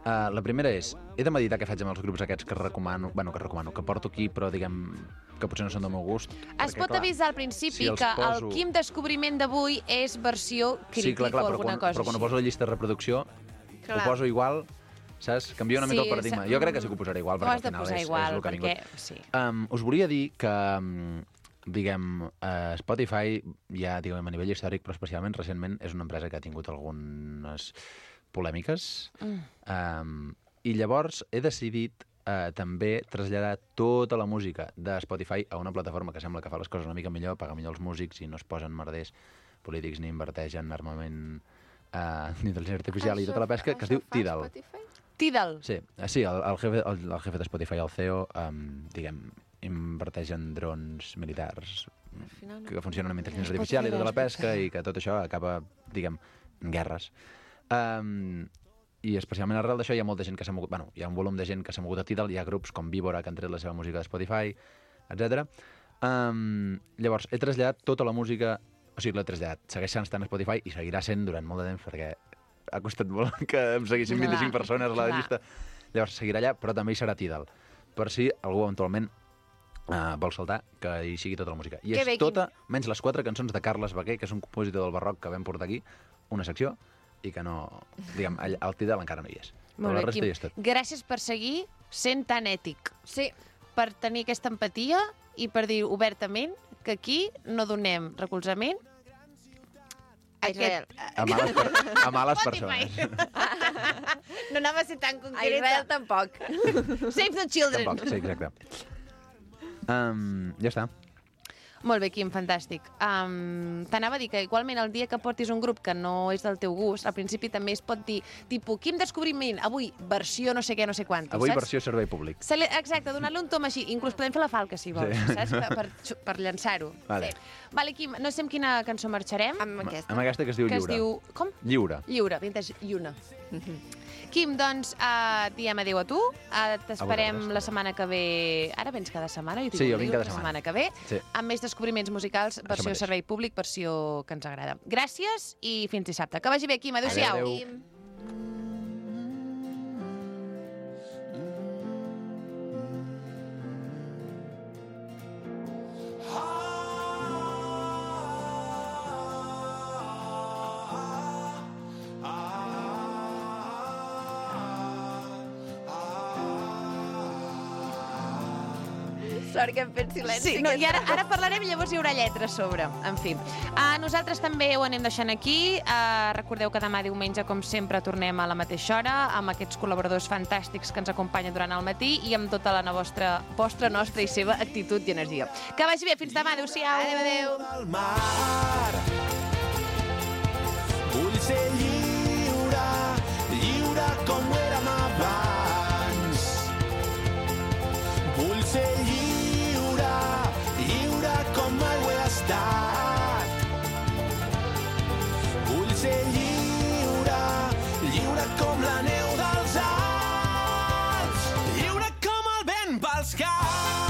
Uh, la primera és, he de meditar què faig amb els grups aquests que recomano, bueno, que recomano, que porto aquí, però diguem que potser no són del meu gust. Es perquè, pot clar, avisar al principi si els que poso- el Quim descobriment d'avui és versió crític sí, clar, clar, o però alguna quan, cosa però quan ho així. poso a la llista de reproducció, Clar. ho poso igual, saps? Canvia una mica Sí, el paradigma. sa- Jo crec que sí que ho posaré igual, Ho perquè has al de final posar és, igual, és el que ha perquè... vingut. Sí. Um, us volia dir que, um, diguem, uh, Spotify, ja diguem a nivell històric, però especialment recentment, és una empresa que ha tingut algunes polèmiques. Mm. Um, I llavors he decidit uh, també traslladar tota la música de Spotify a una plataforma que sembla que fa les coses una mica millor, paga millor els músics i no es posen merders polítics ni inverteixen armament uh, d'intel·ligència artificial i tota la pesca, que es diu Tidal. Tidal. Sí, eh, sí el, el, jefe, el, el jefe de Spotify, el C E O, um, diguem, inverteix en drons militars final no. que funcionen amb intel·ligència artificial i tota la pesca i que tot això acaba, diguem, en guerres. Um, I especialment arrel d'això hi ha molta gent que s'ha mogut... Bueno, hi ha un volum de gent que s'ha mogut a Tidal, hi ha grups com Víbora que han tret la seva música de Spotify, etcètera. Um, llavors, he traslladat tota la música... O sigui, l'he traslladat. Segueix estant a Spotify i seguirà sent durant molt de temps perquè ha costat molt que em seguissin vint-i-cinc Clar, persones a la clar. llista. Llavors, seguirà allà, però també hi serà Tidal. Per si algú eventualment uh, vol saltar, que hi sigui tota la música. I Que és bé, tota, menys les quatre cançons de Carles Baquer, que és un compositor del barroc que vam portar aquí, una secció, i que no... Diguem, al al Tidal encara no hi és. Però Molt la bé, resta Quim. hi és tot. Gràcies per seguir sent tan ètic. Sí. Per tenir aquesta empatia i per dir obertament que aquí no donem recolzament A Israel. A males, per, a males Spotify. persones. No anava a ser tan A Israel concreta. tampoc. Save the children. Tampoc, sí, exacte. Um, ja està. Molt bé, Quim, fantàstic. Um, T'anava a dir que igualment el dia que portis un grup que no és del teu gust, al principi també es pot dir, tipus, Quim Descobriment, avui versió no sé què, no sé quantos, Avui saps? versió servei públic. Se li... Exacte, donar-li un tom així. Inclús podem fer la falca, si vols, Sí. saps? Per, per, per llançar-ho. Vale. Vale, Quim, no sé amb quina cançó marxarem. Amb aquesta. Amb aquesta que es diu que es Lliure. diu... Com? Lliure. Lliure, vintage Lluna. Quim, doncs, uh, diem adéu a tu. Uh, T'esperem vosaltres. la setmana que ve... Ara vens cada setmana? Jo t'hi Sí, dic, jo vinc dic, cada la setmana. setmana que ve. Sí. Amb més descobriments musicals, versió mateix. servei públic, versió que ens agrada. Gràcies i fins dissabte. Que vagi bé, Quim. Adéu-siau. Adéu. Quim. Sort que hem fet silenci. Sí, no, i ara, ara parlarem i llavors hi haurà lletra a sobre. En fi. Uh, nosaltres també ho anem deixant aquí. Uh, recordeu que demà diumenge, com sempre, tornem a la mateixa hora amb aquests col·laboradors fantàstics que ens acompanyen durant el matí i amb tota la vostra, vostra, nostra i seva actitud i energia. Que vagi bé. Fins demà. Adéu-siau. Adéu, adéu. Vull ser lliure, lliure com ho érem abans. Vull ser lliure, lliure com mai ho he estat. Vull ser lliure, lliure com la neu dels Alps, lliure com el vent pels camps.